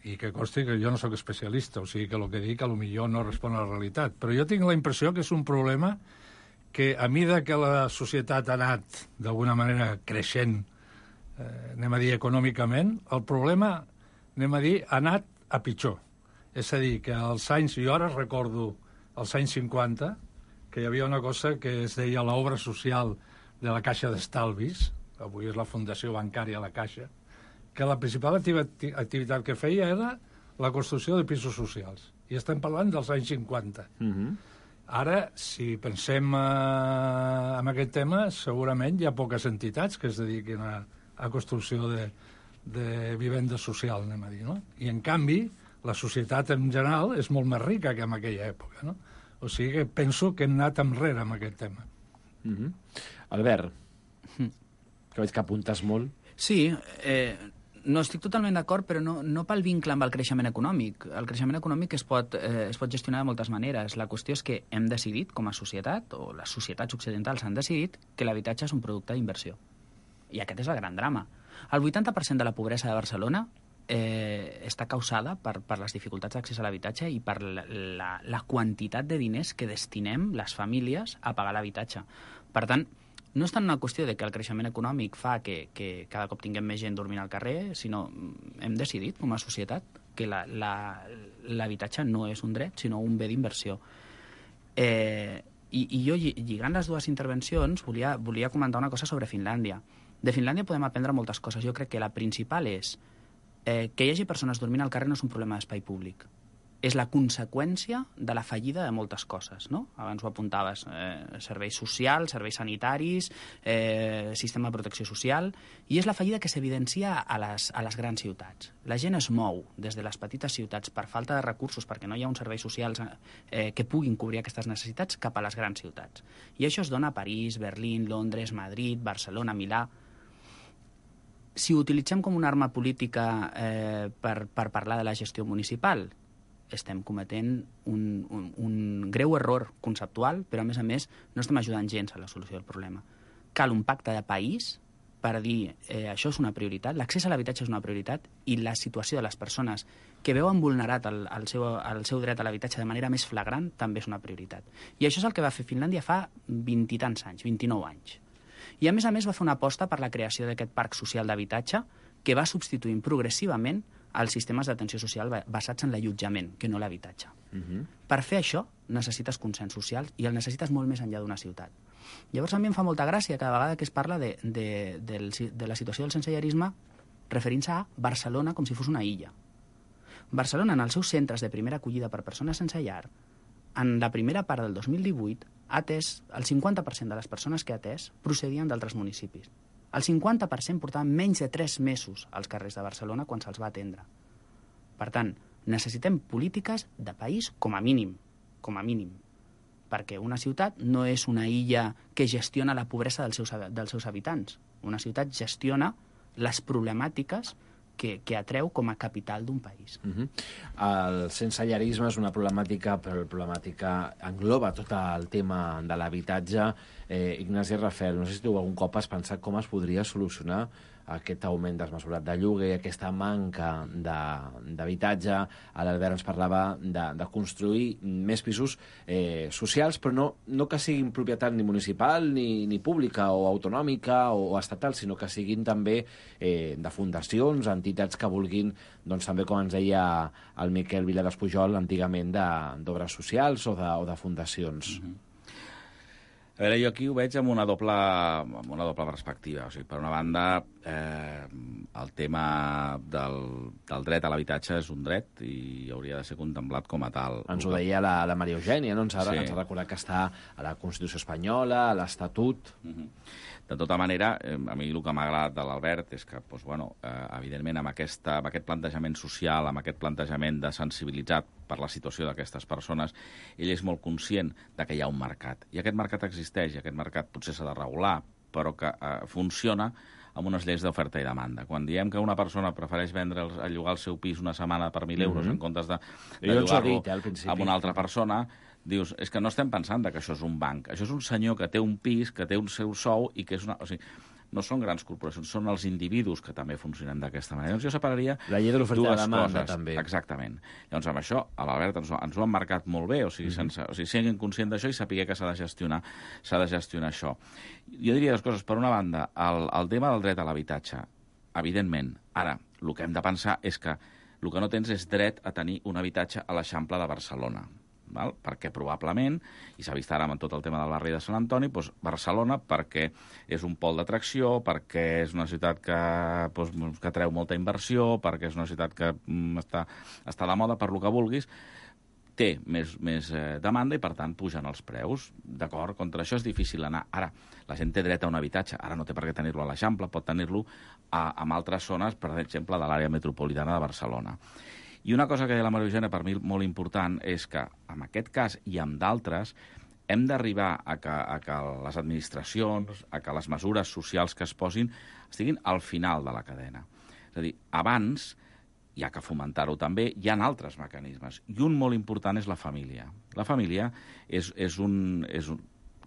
i que consti que jo no sóc especialista, o sigui que el que dic potser no respon a la realitat, però jo tinc la impressió que és un problema que a mida que la societat ha anat d'alguna manera creixent, anem a dir econòmicament, el problema, anem a dir, ha anat a pitjor. És a dir, que als anys, jo ara recordo als anys 50, que hi havia una cosa que es deia l'obra social de la Caixa d'Estalvis, avui és la Fundació Bancària La Caixa, que la principal activitat que feia era la construcció de pisos socials. I estem parlant dels anys 50. Ara, si pensem en aquest tema, segurament hi ha poques entitats que es dediquin a construcció de vivenda social, anem a dir, no? I, en canvi, la societat en general és molt més rica que en aquella època, no? O sigui que penso que hem anat enrere amb aquest tema. Albert, que veig que apuntes molt. Sí, no estic totalment d'acord, però no pel vincle amb el creixement econòmic. El creixement econòmic es pot gestionar de moltes maneres. La qüestió és que hem decidit, com a societat, o les societats occidentals han decidit, que l'habitatge és un producte d'inversió. I aquest és el gran drama. El 80% de la pobresa de Barcelona està causada per les dificultats d'accés a l'habitatge i per la quantitat de diners que destinem les famílies a pagar l'habitatge. Per tant, no és tant una qüestió de que el creixement econòmic fa que cada cop tinguem més gent dormint al carrer, sinó hem decidit, com a societat, que l'habitatge no és un dret, sinó un bé d'inversió. I jo, lligant les dues intervencions, volia comentar una cosa sobre Finlàndia. De Finlàndia podem aprendre moltes coses. Jo crec que la principal és que hi hagi persones dormint al carrer no és un problema d'espai públic. És la conseqüència de la fallida de moltes coses, no? Abans ho apuntaves, serveis socials, serveis sanitaris, sistema de protecció social, i és la fallida que s'evidencia a les grans ciutats. La gent es mou des de les petites ciutats per falta de recursos, perquè no hi ha uns serveis socials que puguin cobrir aquestes necessitats, cap a les grans ciutats. I això es dona a París, Berlín, Londres, Madrid, Barcelona, Milà. Si ho utilitzem com una arma política per parlar de la gestió municipal, estem cometent un greu error conceptual, però a més no estem ajudant gens a la solució del problema. Cal un pacte de país per dir això és una prioritat, l'accés a l'habitatge és una prioritat i la situació de les persones que veuen vulnerat el seu dret a l'habitatge de manera més flagrant també és una prioritat. I això és el que va fer Finlàndia fa 20 i tants anys, 29 anys. I a més va fer una aposta per la creació d'aquest parc social d'habitatge que va substituint progressivament els sistemes d'atenció social basats en l'allotjament, que no l'habitatge. Per fer això necessites consens social i el necessites molt més enllà d'una ciutat. Llavors a mi em fa molta gràcia cada vegada que es parla de la situació del sensellarisme referint-se a Barcelona com si fos una illa. Barcelona, en els seus centres de primera acollida per persones sense llar, en la primera part del 2018, ha atès el 50% de les persones que ha atès procedien d'altres municipis. El 50% portaven menys de 3 mesos als carrers de Barcelona quan se'ls va atendre. Per tant, necessitem polítiques de país com a mínim, perquè una ciutat no és una illa que gestiona la pobresa dels seus habitants. Una ciutat gestiona les problemàtiques que atreu com a capital d'un país. El sensellarisme és una problemàtica, però la problemàtica engloba tot el tema de l'habitatge. Ignasi Rafel, no sé si tu algun cop has pensat com es podria solucionar aquest augment desmesurat de lloguer, aquesta manca d'habitatge. L'Albert ens parlava de construir més pisos socials, però no que siguin propietat ni municipal, ni pública, o autonòmica, o estatal, sinó que siguin també de fundacions, entitats que vulguin, doncs també, com ens deia el Miquel Viladespujol, antigament d'obres socials o de fundacions. A veure, jo aquí ho veig amb una doble perspectiva. O sigui, per una banda, el tema del dret a l'habitatge és un dret i hauria de ser contemplat com a tal. Ens ho deia la Maria Eugènia, no? Ens ha recordat que està a la Constitució espanyola, a l'Estatut. De tota manera, a mi el que m'ha agradat de l'Albert és que, doncs, evidentment, amb aquest plantejament social, amb aquest plantejament de sensibilitzat per la situació d'aquestes persones, ell és molt conscient de que hi ha un mercat. I aquest mercat existeix, i aquest mercat potser s'ha de regular, però que funciona amb unes lleis d'oferta i demanda. Quan diem que una persona prefereix llogar el seu pis una setmana per 1.000 euros en comptes de llogar-lo amb una altra persona, dius, és que no estem pensant que això és un banc. Això és un senyor que té un pis, que té un seu sou i que és una... O sigui, no són grans corporacions, són els individus que també funcionen d'aquesta manera. Llavors jo separaria la llei de l'oferta i la demanda, també. Exactament. Llavors amb això, a l'Albert ens ho han marcat molt bé, o sigui, siguin conscients d'això i sapiguer que s'ha de gestionar això. Jo diria dues coses. Per una banda, el tema del dret a l'habitatge, evidentment. Ara, el que hem de pensar és que el que no tens és dret a tenir un habitatge a l'Eixample de Barcelona. Perquè probablement, i s'ha vist ara amb tot el tema del barri de Sant Antoni, doncs Barcelona, perquè és un pol d'atracció, perquè és una ciutat que atreu molta inversió, perquè és una ciutat que està de moda, per lo que vulguis, té més demanda i, per tant, pugen els preus. D'acord? Contra això és difícil anar. Ara, la gent té dret a un habitatge. Ara no té per què tenir-lo a l'Eixample, pot tenir-lo en altres zones, per exemple, de l'àrea metropolitana de Barcelona. I una cosa que deia la Maria Eugènia, per mi molt important, és que en aquest cas i en d'altres hem d'arribar a que les administracions, a que les mesures socials que es posin estiguin al final de la cadena. És a dir, abans, hi ha que fomentar-ho també, hi ha altres mecanismes. I un molt important és la família. La família és un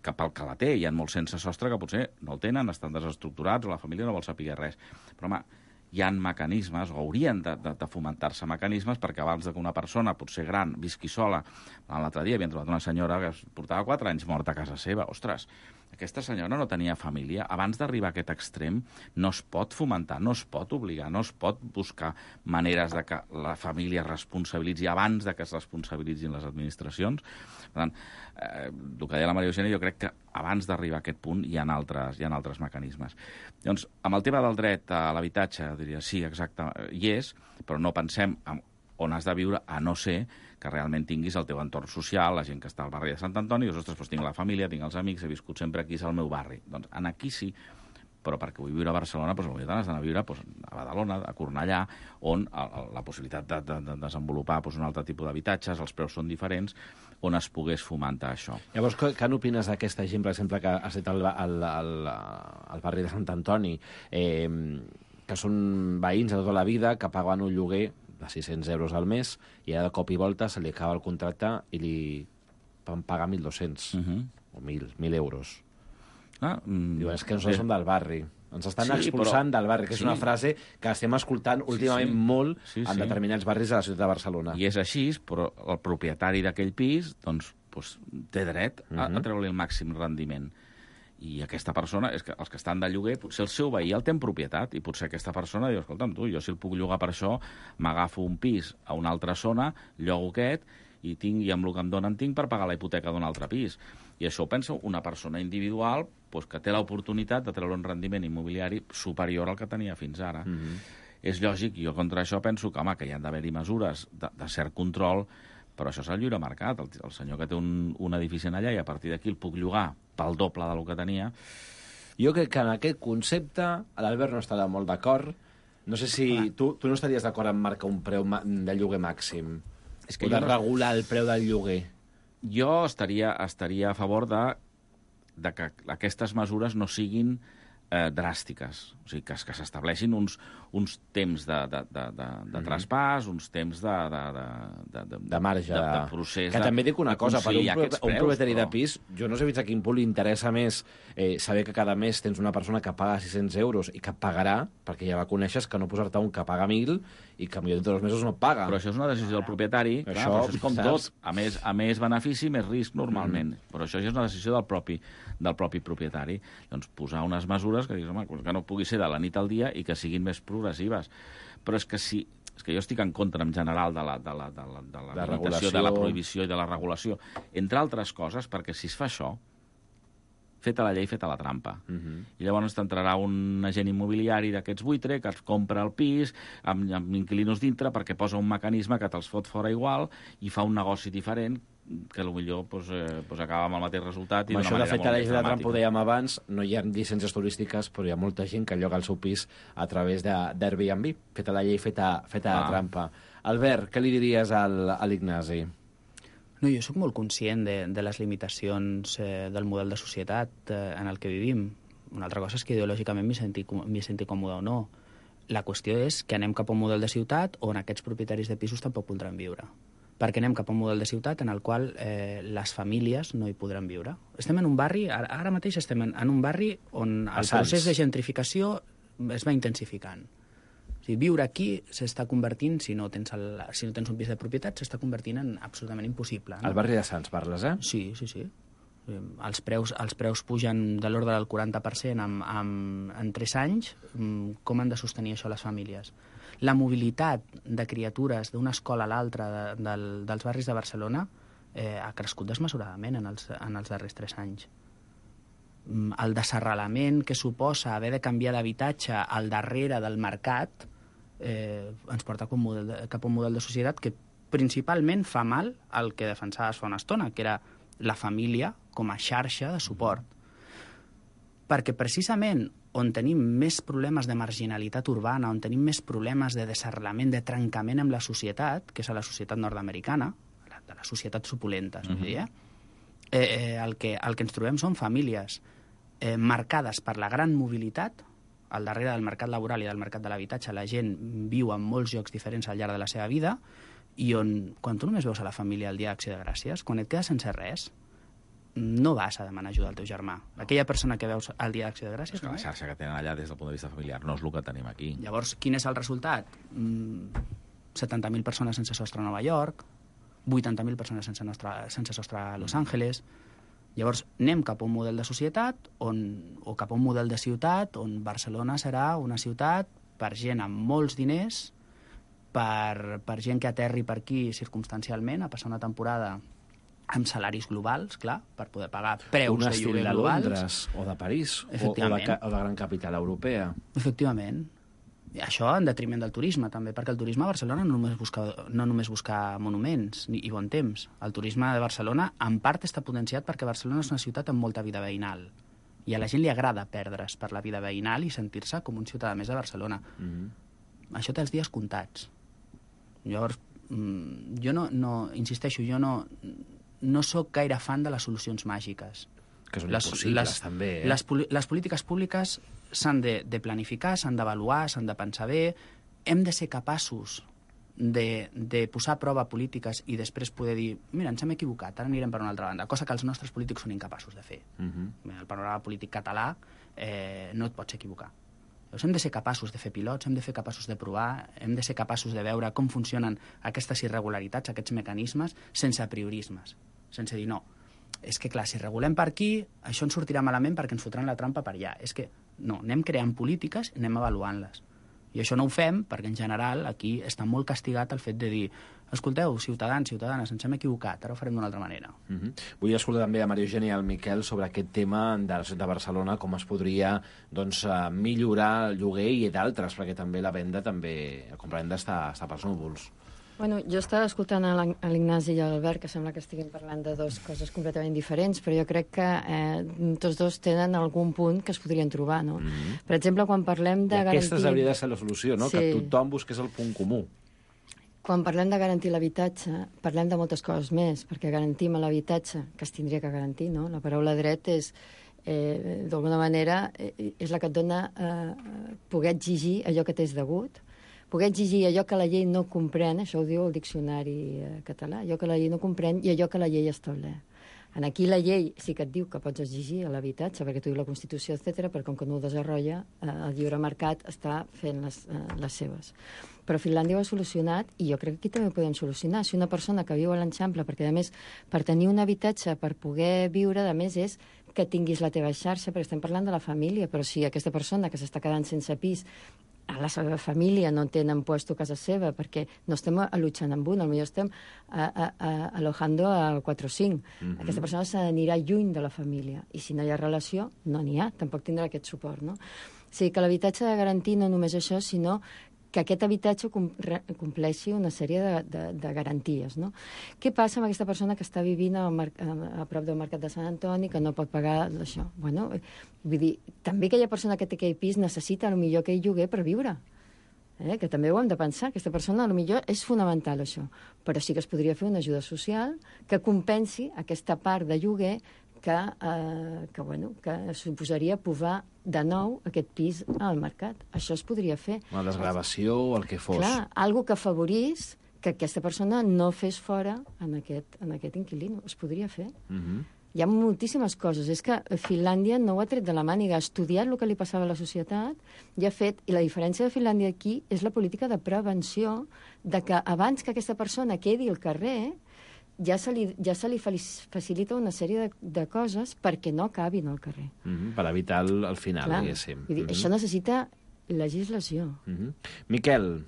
que pel que la té, hi ha molts sense sostre que potser no el tenen, estan desestructurats o la família no vol saber res. Però, home, hi ha mecanismes, o haurien de fomentar-se mecanismes, perquè abans que una persona, potser gran, visqui sola. L'altre dia havien trobat una senyora que portava 4 anys morta a casa seva. Ostres, aquesta senyora no tenia família. Abans d'arribar a aquest extrem, no es pot fomentar, no es pot obligar, no es pot buscar maneres de que la família es responsabilitzi abans de que es responsabilitzin les administracions. Per tant, el que deia la Maria Eugènia, jo crec que abans d'arribar a aquest punt hi ha altres mecanismes. Doncs, amb el tema del dret a l'habitatge, diria, sí, exacte, hi és, però no pensem on has de viure, a no ser que realment tinguis el teu entorn social, la gent que està al barri de Sant Antoni, i dius, ostres, doncs tinc la família, tinc els amics, he viscut sempre aquí, és el meu barri. Doncs aquí sí, però perquè vull viure a Barcelona, doncs potser has d'anar a viure a Badalona, a Cornellà, on la possibilitat de desenvolupar un altre tipus d'habitatges, els preus són diferents, on es pogués fomentar això. Llavors, què n'opines d'aquesta gent, per exemple, que has dit al barri de Sant Antoni, que són veïns de tota la vida, que paguen un lloguer de 600 euros al mes, i ara de cop i volta se li acaba el contracte i li van pagar 1.200 o 1.000 euros. Diuen, és que nosaltres som del barri. Ens estan expulsant del barri, que és una frase que estem escoltant últimament molt en determinats barris de la ciutat de Barcelona. I és així, però el propietari d'aquell pis doncs, té dret a treure-li el màxim rendiment. I aquesta persona, és que els que estan de lloguer, potser el seu veí el té en propietat, i potser aquesta persona diu, escolta'm, tu, jo si el puc llogar per això, m'agafo un pis a una altra zona, llogo aquest, i amb el que em donen tinc per pagar la hipoteca d'un altre pis. I això ho pensa una persona individual que té l'oportunitat de treure un rendiment immobiliari superior al que tenia fins ara. És lògic, jo contra això penso que, home, que hi han d'haver-hi mesures de cert control, però això és el lliure mercat. El senyor que té un edifici allà i a partir d'aquí el puc llogar pel doble del que tenia. Jo crec que en aquest concepte l'Albert no estarà molt d'acord. No sé si tu no estaries d'acord en marcar un preu de lloguer màxim, o de regular el preu del lloguer. Jo estaria a favor de que aquestes mesures no siguin dràstiques. O sigui, que s'estableixin uns temps de traspàs, uns temps de marge. De procés. Que també dic una cosa, per un propietari de pis, jo no sé fins a quin punt li interessa més saber que cada mes tens una persona que paga 600 euros i que pagarà, perquè ja la coneixes, que no posar-te un que paga 1.000 i que millor de 2 mesos no paga. Però això és una decisió del propietari, clar, això és com tot. A més benefici, més risc normalment. Però això ja és una decisió del propi propietari. Doncs posar unes mesures que no pugui ser de la nit al dia i que siguin més progressives. Però és que jo estic en contra, en general, de la limitació, de la prohibició i de la regulació. Entre altres coses, perquè si es fa això, feta la llei, feta la trampa. I llavors t'entrarà un agent immobiliari d'aquests buitre que et compra el pis amb inquilinos dintre perquè posa un mecanisme que te'ls fot fora igual i fa un negoci diferent que potser acaba amb el mateix resultat i d'una manera molt més dramàtica. Això de fet, a la llei de la trampa, ho dèiem abans, no hi ha llicències turístiques, però hi ha molta gent que lloga el seu pis a través d'Airbnb. Feta la llei, feta la trampa. Albert, què li diries a l'Ignasi? No, jo sóc molt conscient de les limitacions del model de societat en el que vivim. Una altra cosa és que ideològicament m'hi senti còmode o no. La qüestió és que anem cap a un model de ciutat on aquests propietaris de pisos tampoc podran viure. Perquè anem cap a un model de ciutat en el qual les famílies no hi podran viure. Estem en un barri, ara mateix estem en un barri on el procés de gentrificació es va intensificant. O sigui, viure aquí s'està convertint, si no tens un pis de propietat, s'està convertint en absolutament impossible. Al barri de Sants parles, eh? Sí. Els preus pugen de l'ordre del 40% en 3 anys. Com han de sostenir això les famílies? La mobilitat de criatures d'una escola a l'altra dels barris de Barcelona ha crescut desmesuradament en els darrers 3 anys. El desarrelament que suposa haver de canviar d'habitatge al darrere del mercat ens porta cap a un model de societat que principalment fa mal al que defensaves fa una estona, que era la família com a xarxa de suport. Perquè precisament on tenim més problemes de marginalitat urbana, on tenim més problemes de desarrelament, de trencament amb la societat, que és a la societat nord-americana, de les societats opulentes, el que ens trobem són famílies marcades per la gran mobilitat. Al darrere del mercat laboral i del mercat de l'habitatge la gent viu en molts llocs diferents al llarg de la seva vida i on, quan tu només veus a la família el dia d'Acció de Gràcies, quan et quedes sense res, no vas a demanar ajuda al teu germà. Aquella persona que veus al dia d'Acció de Gràcies... És que la xarxa que tenen allà des del punt de vista familiar no és el que tenim aquí. Llavors, quin és el resultat? 70.000 persones sense sostre a Nova York, 80.000 persones sense sostre a Los Angeles. Llavors, anem cap a un model de societat o cap a un model de ciutat on Barcelona serà una ciutat per gent amb molts diners, per gent que aterri per aquí circumstancialment a passar una temporada amb salaris globals, clar, per poder pagar preus de lloguer globals. Un estil de Londres o de París o de gran capital europea. Efectivament. I això en detriment del turisme, també, perquè el turisme a Barcelona no només busca monuments i bon temps. El turisme de Barcelona, en part, està potenciat perquè Barcelona és una ciutat amb molta vida veïnal. I a la gent li agrada perdre's per la vida veïnal i sentir-se com un ciutadà més de Barcelona. Això té els dies comptats. Llavors, insisteixo, jo no sóc gaire fan de les solucions màgiques. Que són impossibles, també. Les polítiques públiques s'han de planificar, s'han d'avaluar, s'han de pensar bé. Hem de ser capaços de posar a prova polítiques i després poder dir, mira, ens hem equivocat, ara anirem per una altra banda, cosa que els nostres polítics són incapaços de fer. El panorama polític català no et pots equivocar. Llavors hem de ser capaços de fer pilots, hem de ser capaços de provar, hem de ser capaços de veure com funcionen aquestes irregularitats, aquests mecanismes, sense apriorismes, sense dir no. És que, clar, si regulem per aquí, això ens sortirà malament perquè ens fotran la trampa per allà. És que, no, anem creant polítiques i anem avaluant-les. I això no ho fem perquè, en general, aquí està molt castigat el fet de dir escolteu, ciutadans, ciutadanes, ens hem equivocat, ara ho farem d'una altra manera. Vull escoltar també a Maria Eugènia i al Miquel sobre aquest tema de Barcelona, com es podria millorar el lloguer i d'altres, perquè també la venda, la compravenda està pels núvols. Bueno, jo estava escoltant a l'Ignasi i a l'Albert, que sembla que estiguin parlant de dues coses completament diferents, però jo crec que tots dos tenen algun punt que es podrien trobar, no? Per exemple, quan parlem de garantir... Aquesta hauria de ser la solució, no? Sí. Que tothom busqués el punt comú. Quan parlem de garantir l'habitatge, parlem de moltes coses més, perquè garantim l'habitatge, que es tindria que garantir, no? La paraula dret és d'alguna manera, és la que et dona poder exigir allò que t'és degut, poder exigir allò que la llei no comprèn, això ho diu el diccionari català, allò que la llei no comprèn i allò que la llei estableix. Aquí la llei sí que et diu que pots exigir l'habitatge, perquè t'ho diu la Constitució, etc., però com que no ho desenrotlla, el lliure mercat està fent les seves. Però Finlàndia ho ha solucionat, i jo crec que aquí també ho podem solucionar. Si una persona que viu a l'Eixample, perquè a més, per tenir un habitatge, per poder viure, a més, és que tinguis la teva xarxa, perquè estem parlant de la família, però si aquesta persona que s'està quedant sense pis, a la seva família no tenen puesto a casa seva, perquè no estem allotjant amb un, potser estem alojando a 4 o 5. Aquesta persona s'anirà lluny de la família, i si no hi ha relació, no n'hi ha, tampoc tindrà aquest suport, no? O sigui, que l'habitatge ha de garantir no només això, sinó que aquest habitatge compleixi una sèrie de garanties, no? Què passa amb aquesta persona que està vivint a prop del Mercat de Sant Antoni, que no pot pagar això? Bueno, vull dir, també aquella persona que té aquell pis necessita potser aquell lloguer per viure, que també ho hem de pensar. Aquesta persona potser és fonamental, això, però sí que es podria fer una ajuda social que compensi aquesta part de lloguer que suposaria posar de nou aquest pis al mercat. Això es podria fer. Una desgravació o el que fos. Clar, algo que afavorís que aquesta persona no fes fora en aquest inquilino. Es podria fer. Hi ha moltíssimes coses. És que Finlàndia no ho ha tret de la màniga, ha estudiat el que li passava a la societat i ha fet... I la diferència de Finlàndia aquí és la política de prevenció, de que abans que aquesta persona quedi al carrer, ja se li facilita una sèrie de coses perquè no acabin al carrer. Per evitar el final, diguéssim. Això necessita legislació. Miquel,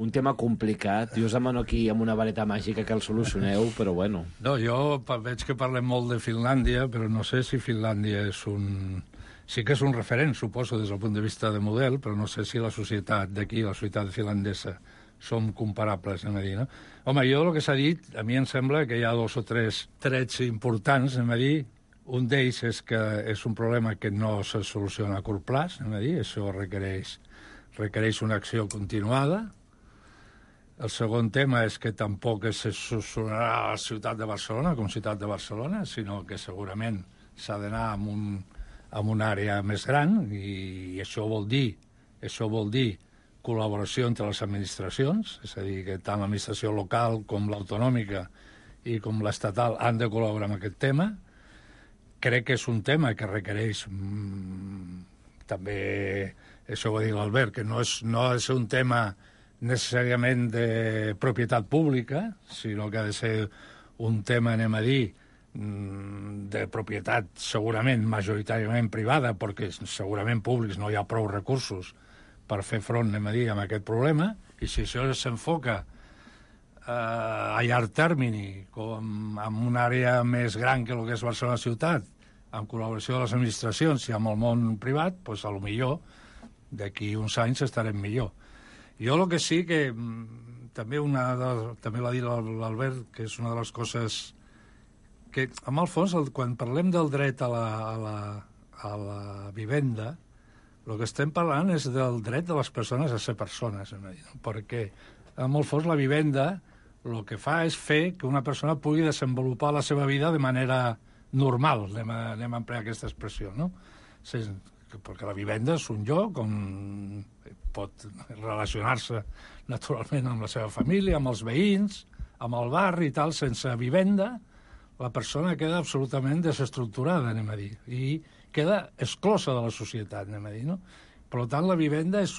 un tema complicat. Jo us demano aquí amb una vareta màgica que el solucioneu, però bueno. No, jo veig que parlem molt de Finlàndia, però no sé si Finlàndia és un... Sí que és un referent, suposo, des del punt de vista de model, però no sé si la societat d'aquí, la societat finlandesa, som comparables, anem a dir, no? Home, jo el que s'ha dit, a mi em sembla que hi ha 2 o 3 trets importants, anem a dir. Un d'ells és que és un problema que no se soluciona a curt plaç, anem a dir, això requereix una acció continuada. El segon tema és que tampoc se solucionarà a la ciutat de Barcelona com ciutat de Barcelona, sinó que segurament s'ha d'anar a una àrea més gran, i això vol dir col·laboració entre les administracions, és a dir, que tant l'administració local com l'autonòmica i com l'estatal han de col·laborar en aquest tema. Crec que és un tema que requereix també, això ho va dir l'Albert, que no ha de ser un tema necessàriament de propietat pública, sinó que ha de ser un tema, anem a dir, de propietat segurament majoritàriament privada, perquè segurament públics no hi ha prou recursos per fer front, anem a dir, amb aquest problema, i si això s'enfoca a llarg termini, com en una àrea més gran que el que és Barcelona ciutat, en col·laboració de les administracions i amb el món privat, doncs potser d'aquí uns anys estarem millor. Jo el que sí que també l'ha dit l'Albert, que és una de les coses que, en el fons, quan parlem del dret a la vivenda, el que estem parlant és del dret de les persones a ser persones, perquè, en el fons, la vivenda el que fa és fer que una persona pugui desenvolupar la seva vida de manera normal, anem a emplear aquesta expressió, no? Perquè la vivenda és un lloc on pot relacionar-se naturalment amb la seva família, amb els veïns, amb el barri i tal. Sense vivenda, la persona queda absolutament desestructurada, anem a dir, i queda exclosa de la societat, anem a dir, no? Per tant, la vivenda és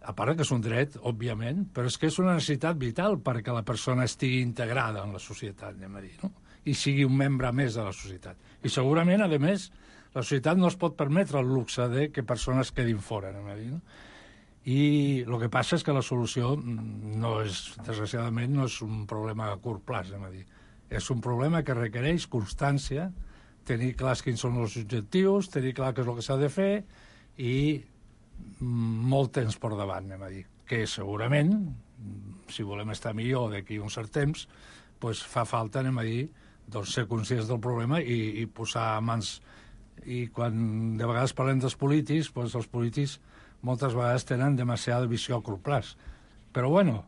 a part que és un dret, òbviament, però és que és una necessitat vital perquè la persona estigui integrada en la societat, anem a dir, no? I sigui un membre més de la societat. I segurament, a més, la societat no es pot permetre el luxe de que persones quedin fora, anem a dir, no? I el que passa és que la solució desgraciadament, no és un problema a curt plaç, anem a dir. És un problema que requereix constància, tenir clars quins són els objectius, tenir clar què és el que s'ha de fer i molt temps per davant, anem a dir. Que segurament, si volem estar millor d'aquí un cert temps, doncs fa falta, anem a dir, ser conscients del problema i posar mans. I quan de vegades parlem dels polítics, doncs els polítics moltes vegades tenen demasiada visió a curt plaç. Però, bueno,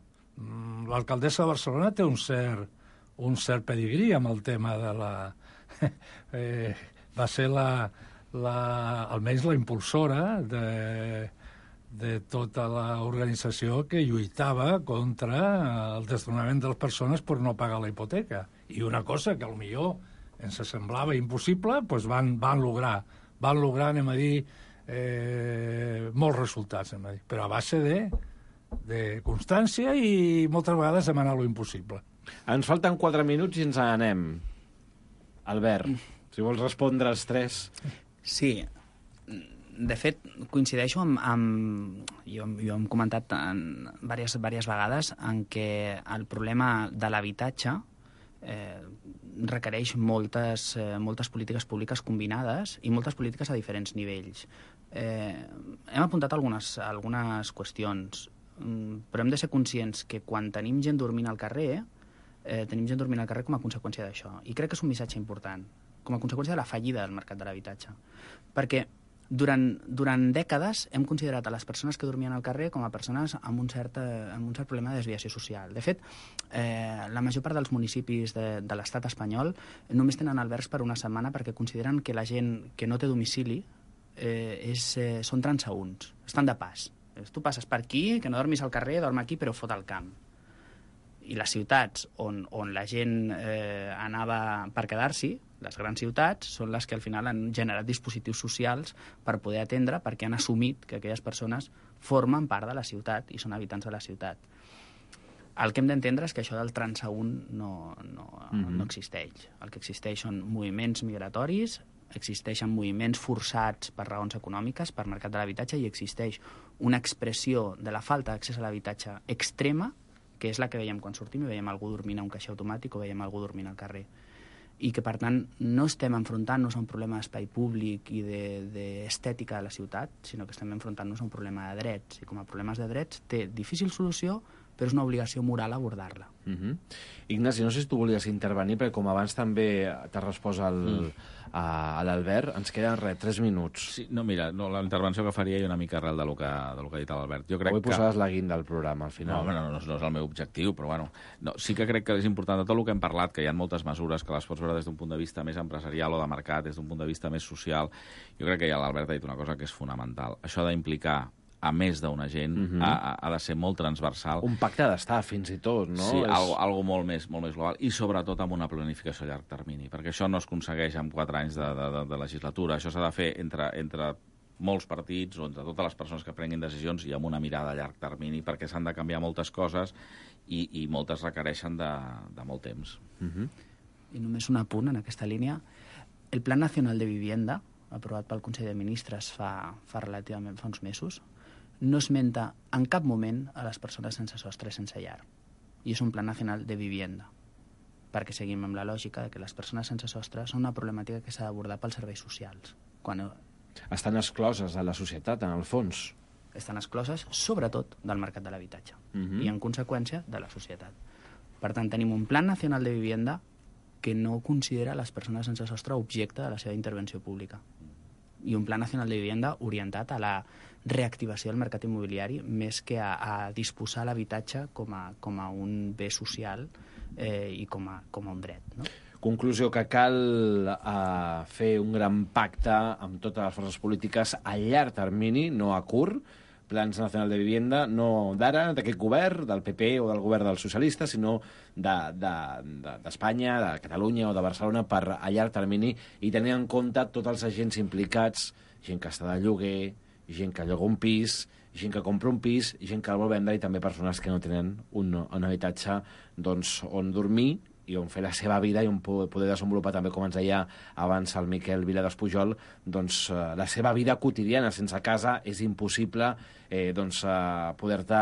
l'alcaldessa de Barcelona té un cert pedigrí amb el tema de la va ser almenys la impulsora de tota l'organització que lluitava contra el desnonament de les persones per no pagar la hipoteca. I una cosa que potser ens semblava impossible, doncs van lograr, anem a dir, molts resultats, però a base de constància i moltes vegades demanar lo impossible. Ens falten 4 minuts i ens n'anem. Albert, si vols respondre als 3. Sí, de fet, coincideixo amb jo hem comentat diverses vegades en què el problema de l'habitatge requereix moltes polítiques públiques combinades i moltes polítiques a diferents nivells. Hem apuntat algunes qüestions, però hem de ser conscients que quan tenim gent dormint al carrer, tenim gent dormint al carrer com a conseqüència d'això. I crec que és un missatge important, com a conseqüència de la fallida del mercat de l'habitatge. Perquè durant dècades hem considerat a les persones que dormien al carrer com a persones amb un cert problema de desviació social. De fet, la major part dels municipis de l'estat espanyol només tenen albergs per una setmana perquè consideren que la gent que no té domicili són transeünts, estan de pas. Tu passes per aquí, que no dormis al carrer, dorm aquí, però fot al camp. I les ciutats on la gent anava per quedar-s'hi, les grans ciutats, són les que al final han generat dispositius socials per poder atendre, perquè han assumit que aquelles persones formen part de la ciutat i són habitants de la ciutat. El que hem d'entendre és que això del transeünt no existeix. El que existeix són moviments migratoris, existeixen moviments forçats per raons econòmiques, per mercat de l'habitatge, i existeix una expressió de la falta d'accés a l'habitatge extrema, que és la que veiem quan sortim i veiem algú dormint a un caixer automàtic o veiem algú dormint al carrer. I que, per tant, no estem enfrontant-nos a un problema d'espai públic i d'estètica de la ciutat, sinó que estem enfrontant-nos a un problema de drets. I com a problemes de drets té difícil solució, però és una obligació moral abordar-la. Ignasi, no sé si tu volies intervenir, perquè com abans també t'ha respost a l'Albert, ens queden 3 minuts. Sí, mira, la intervenció que faria jo una mica arrel de lo que ha dit l'Albert. Avui posaves la guinda al programa, al final. No és el meu objectiu, però bueno. Sí que crec que és important de tot el que hem parlat, que hi ha moltes mesures que les pots veure des d'un punt de vista més empresarial o de mercat, des d'un punt de vista més social. Jo crec que ja l'Albert ha dit una cosa que és fonamental. Això d'implicar a més d'una gent, ha de ser molt transversal. Un pacte d'estat, fins i tot, no? Sí, algo molt més global, i sobretot amb una planificació a llarg termini, perquè això no es aconsegueix en 4 anys de legislatura, això s'ha de fer entre molts partits o entre totes les persones que prenguin decisions i amb una mirada a llarg termini, perquè s'han de canviar moltes coses i moltes requereixen de molt temps. I només un apunt en aquesta línia. El Plan Nacional de Vivienda, aprovat pel Consell de Ministres fa uns mesos, no esmenta en cap moment a les persones sense sostre, sense llar. I és un Plan Nacional de Vivienda, perquè seguim amb la lògica que les persones sense sostre són una problemàtica que s'ha d'abordar pels serveis socials. Estan excloses de la societat, en el fons. Estan excloses, sobretot, del mercat de l'habitatge i, en conseqüència, de la societat. Per tant, tenim un Plan Nacional de Vivienda que no considera les persones sense sostre objecte de la seva intervenció pública. I un Pla Nacional de Vivienda orientat a la reactivació del mercat immobiliari més que a disposar l'habitatge com a un bé social i com a un dret. No? Conclusió, que cal fer un gran pacte amb totes les forces polítiques a llarg termini, no a curt, Plans Nacional de Vivienda, no d'ara, d'aquest govern, del PP o del govern dels socialistes, sinó d'Espanya, de Catalunya o de Barcelona, per a llarg termini, i tenir en compte tots els agents implicats, gent que està de lloguer, gent que lloga un pis, gent que compra un pis, gent que el vol vendre, i també persones que no tenen un habitatge on dormir i on fer la seva vida i on poder desenvolupar també, com ens deia abans el Miquel Vila d'Espujol, la seva vida quotidiana. Sense casa és impossible poder-te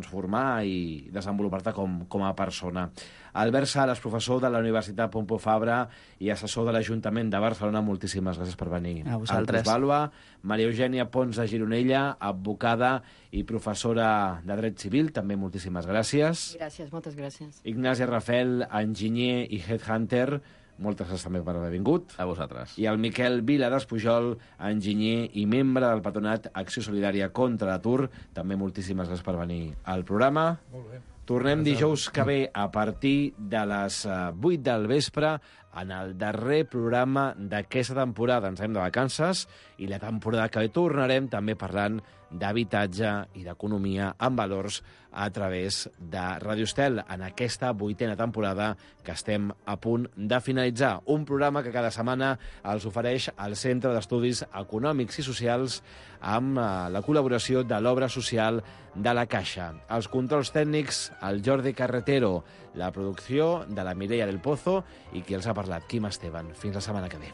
formar i desenvolupar-te com a persona. Albert Sales, professor de la Universitat Pompeu Fabra i assessor de l'Ajuntament de Barcelona, moltíssimes gràcies per venir. A vosaltres. Maria Eugènia Pons de Gironella, advocada i professora de Dret Civil, també moltíssimes gràcies. Gràcies, moltes gràcies. Ignasi Rafel, enginyer i headhunter, moltes gràcies també per haver vingut. A vosaltres. I el Miquel Vila d'Espujol, enginyer i membre del Patronat Acció Solidària contra l'Atur, també moltíssimes gràcies per venir al programa. Molt bé. Tornem dijous que ve a partir de les 8 del vespre en el darrer programa d'aquesta temporada. Ens anem de vacances i la temporada que ve tornarem també parlant d'habitatge i d'economia amb valors a través de Ràdio Estel en aquesta 8a temporada que estem a punt de finalitzar. Un programa que cada setmana els ofereix el Centre d'Estudis Econòmics i Socials amb la col·laboració de l'Obra Social de la Caixa. Els controls tècnics, el Jordi Carretero, la producció de la Mireia del Pozo i qui els ha parlat, Quim Esteban. Fins la setmana que ve.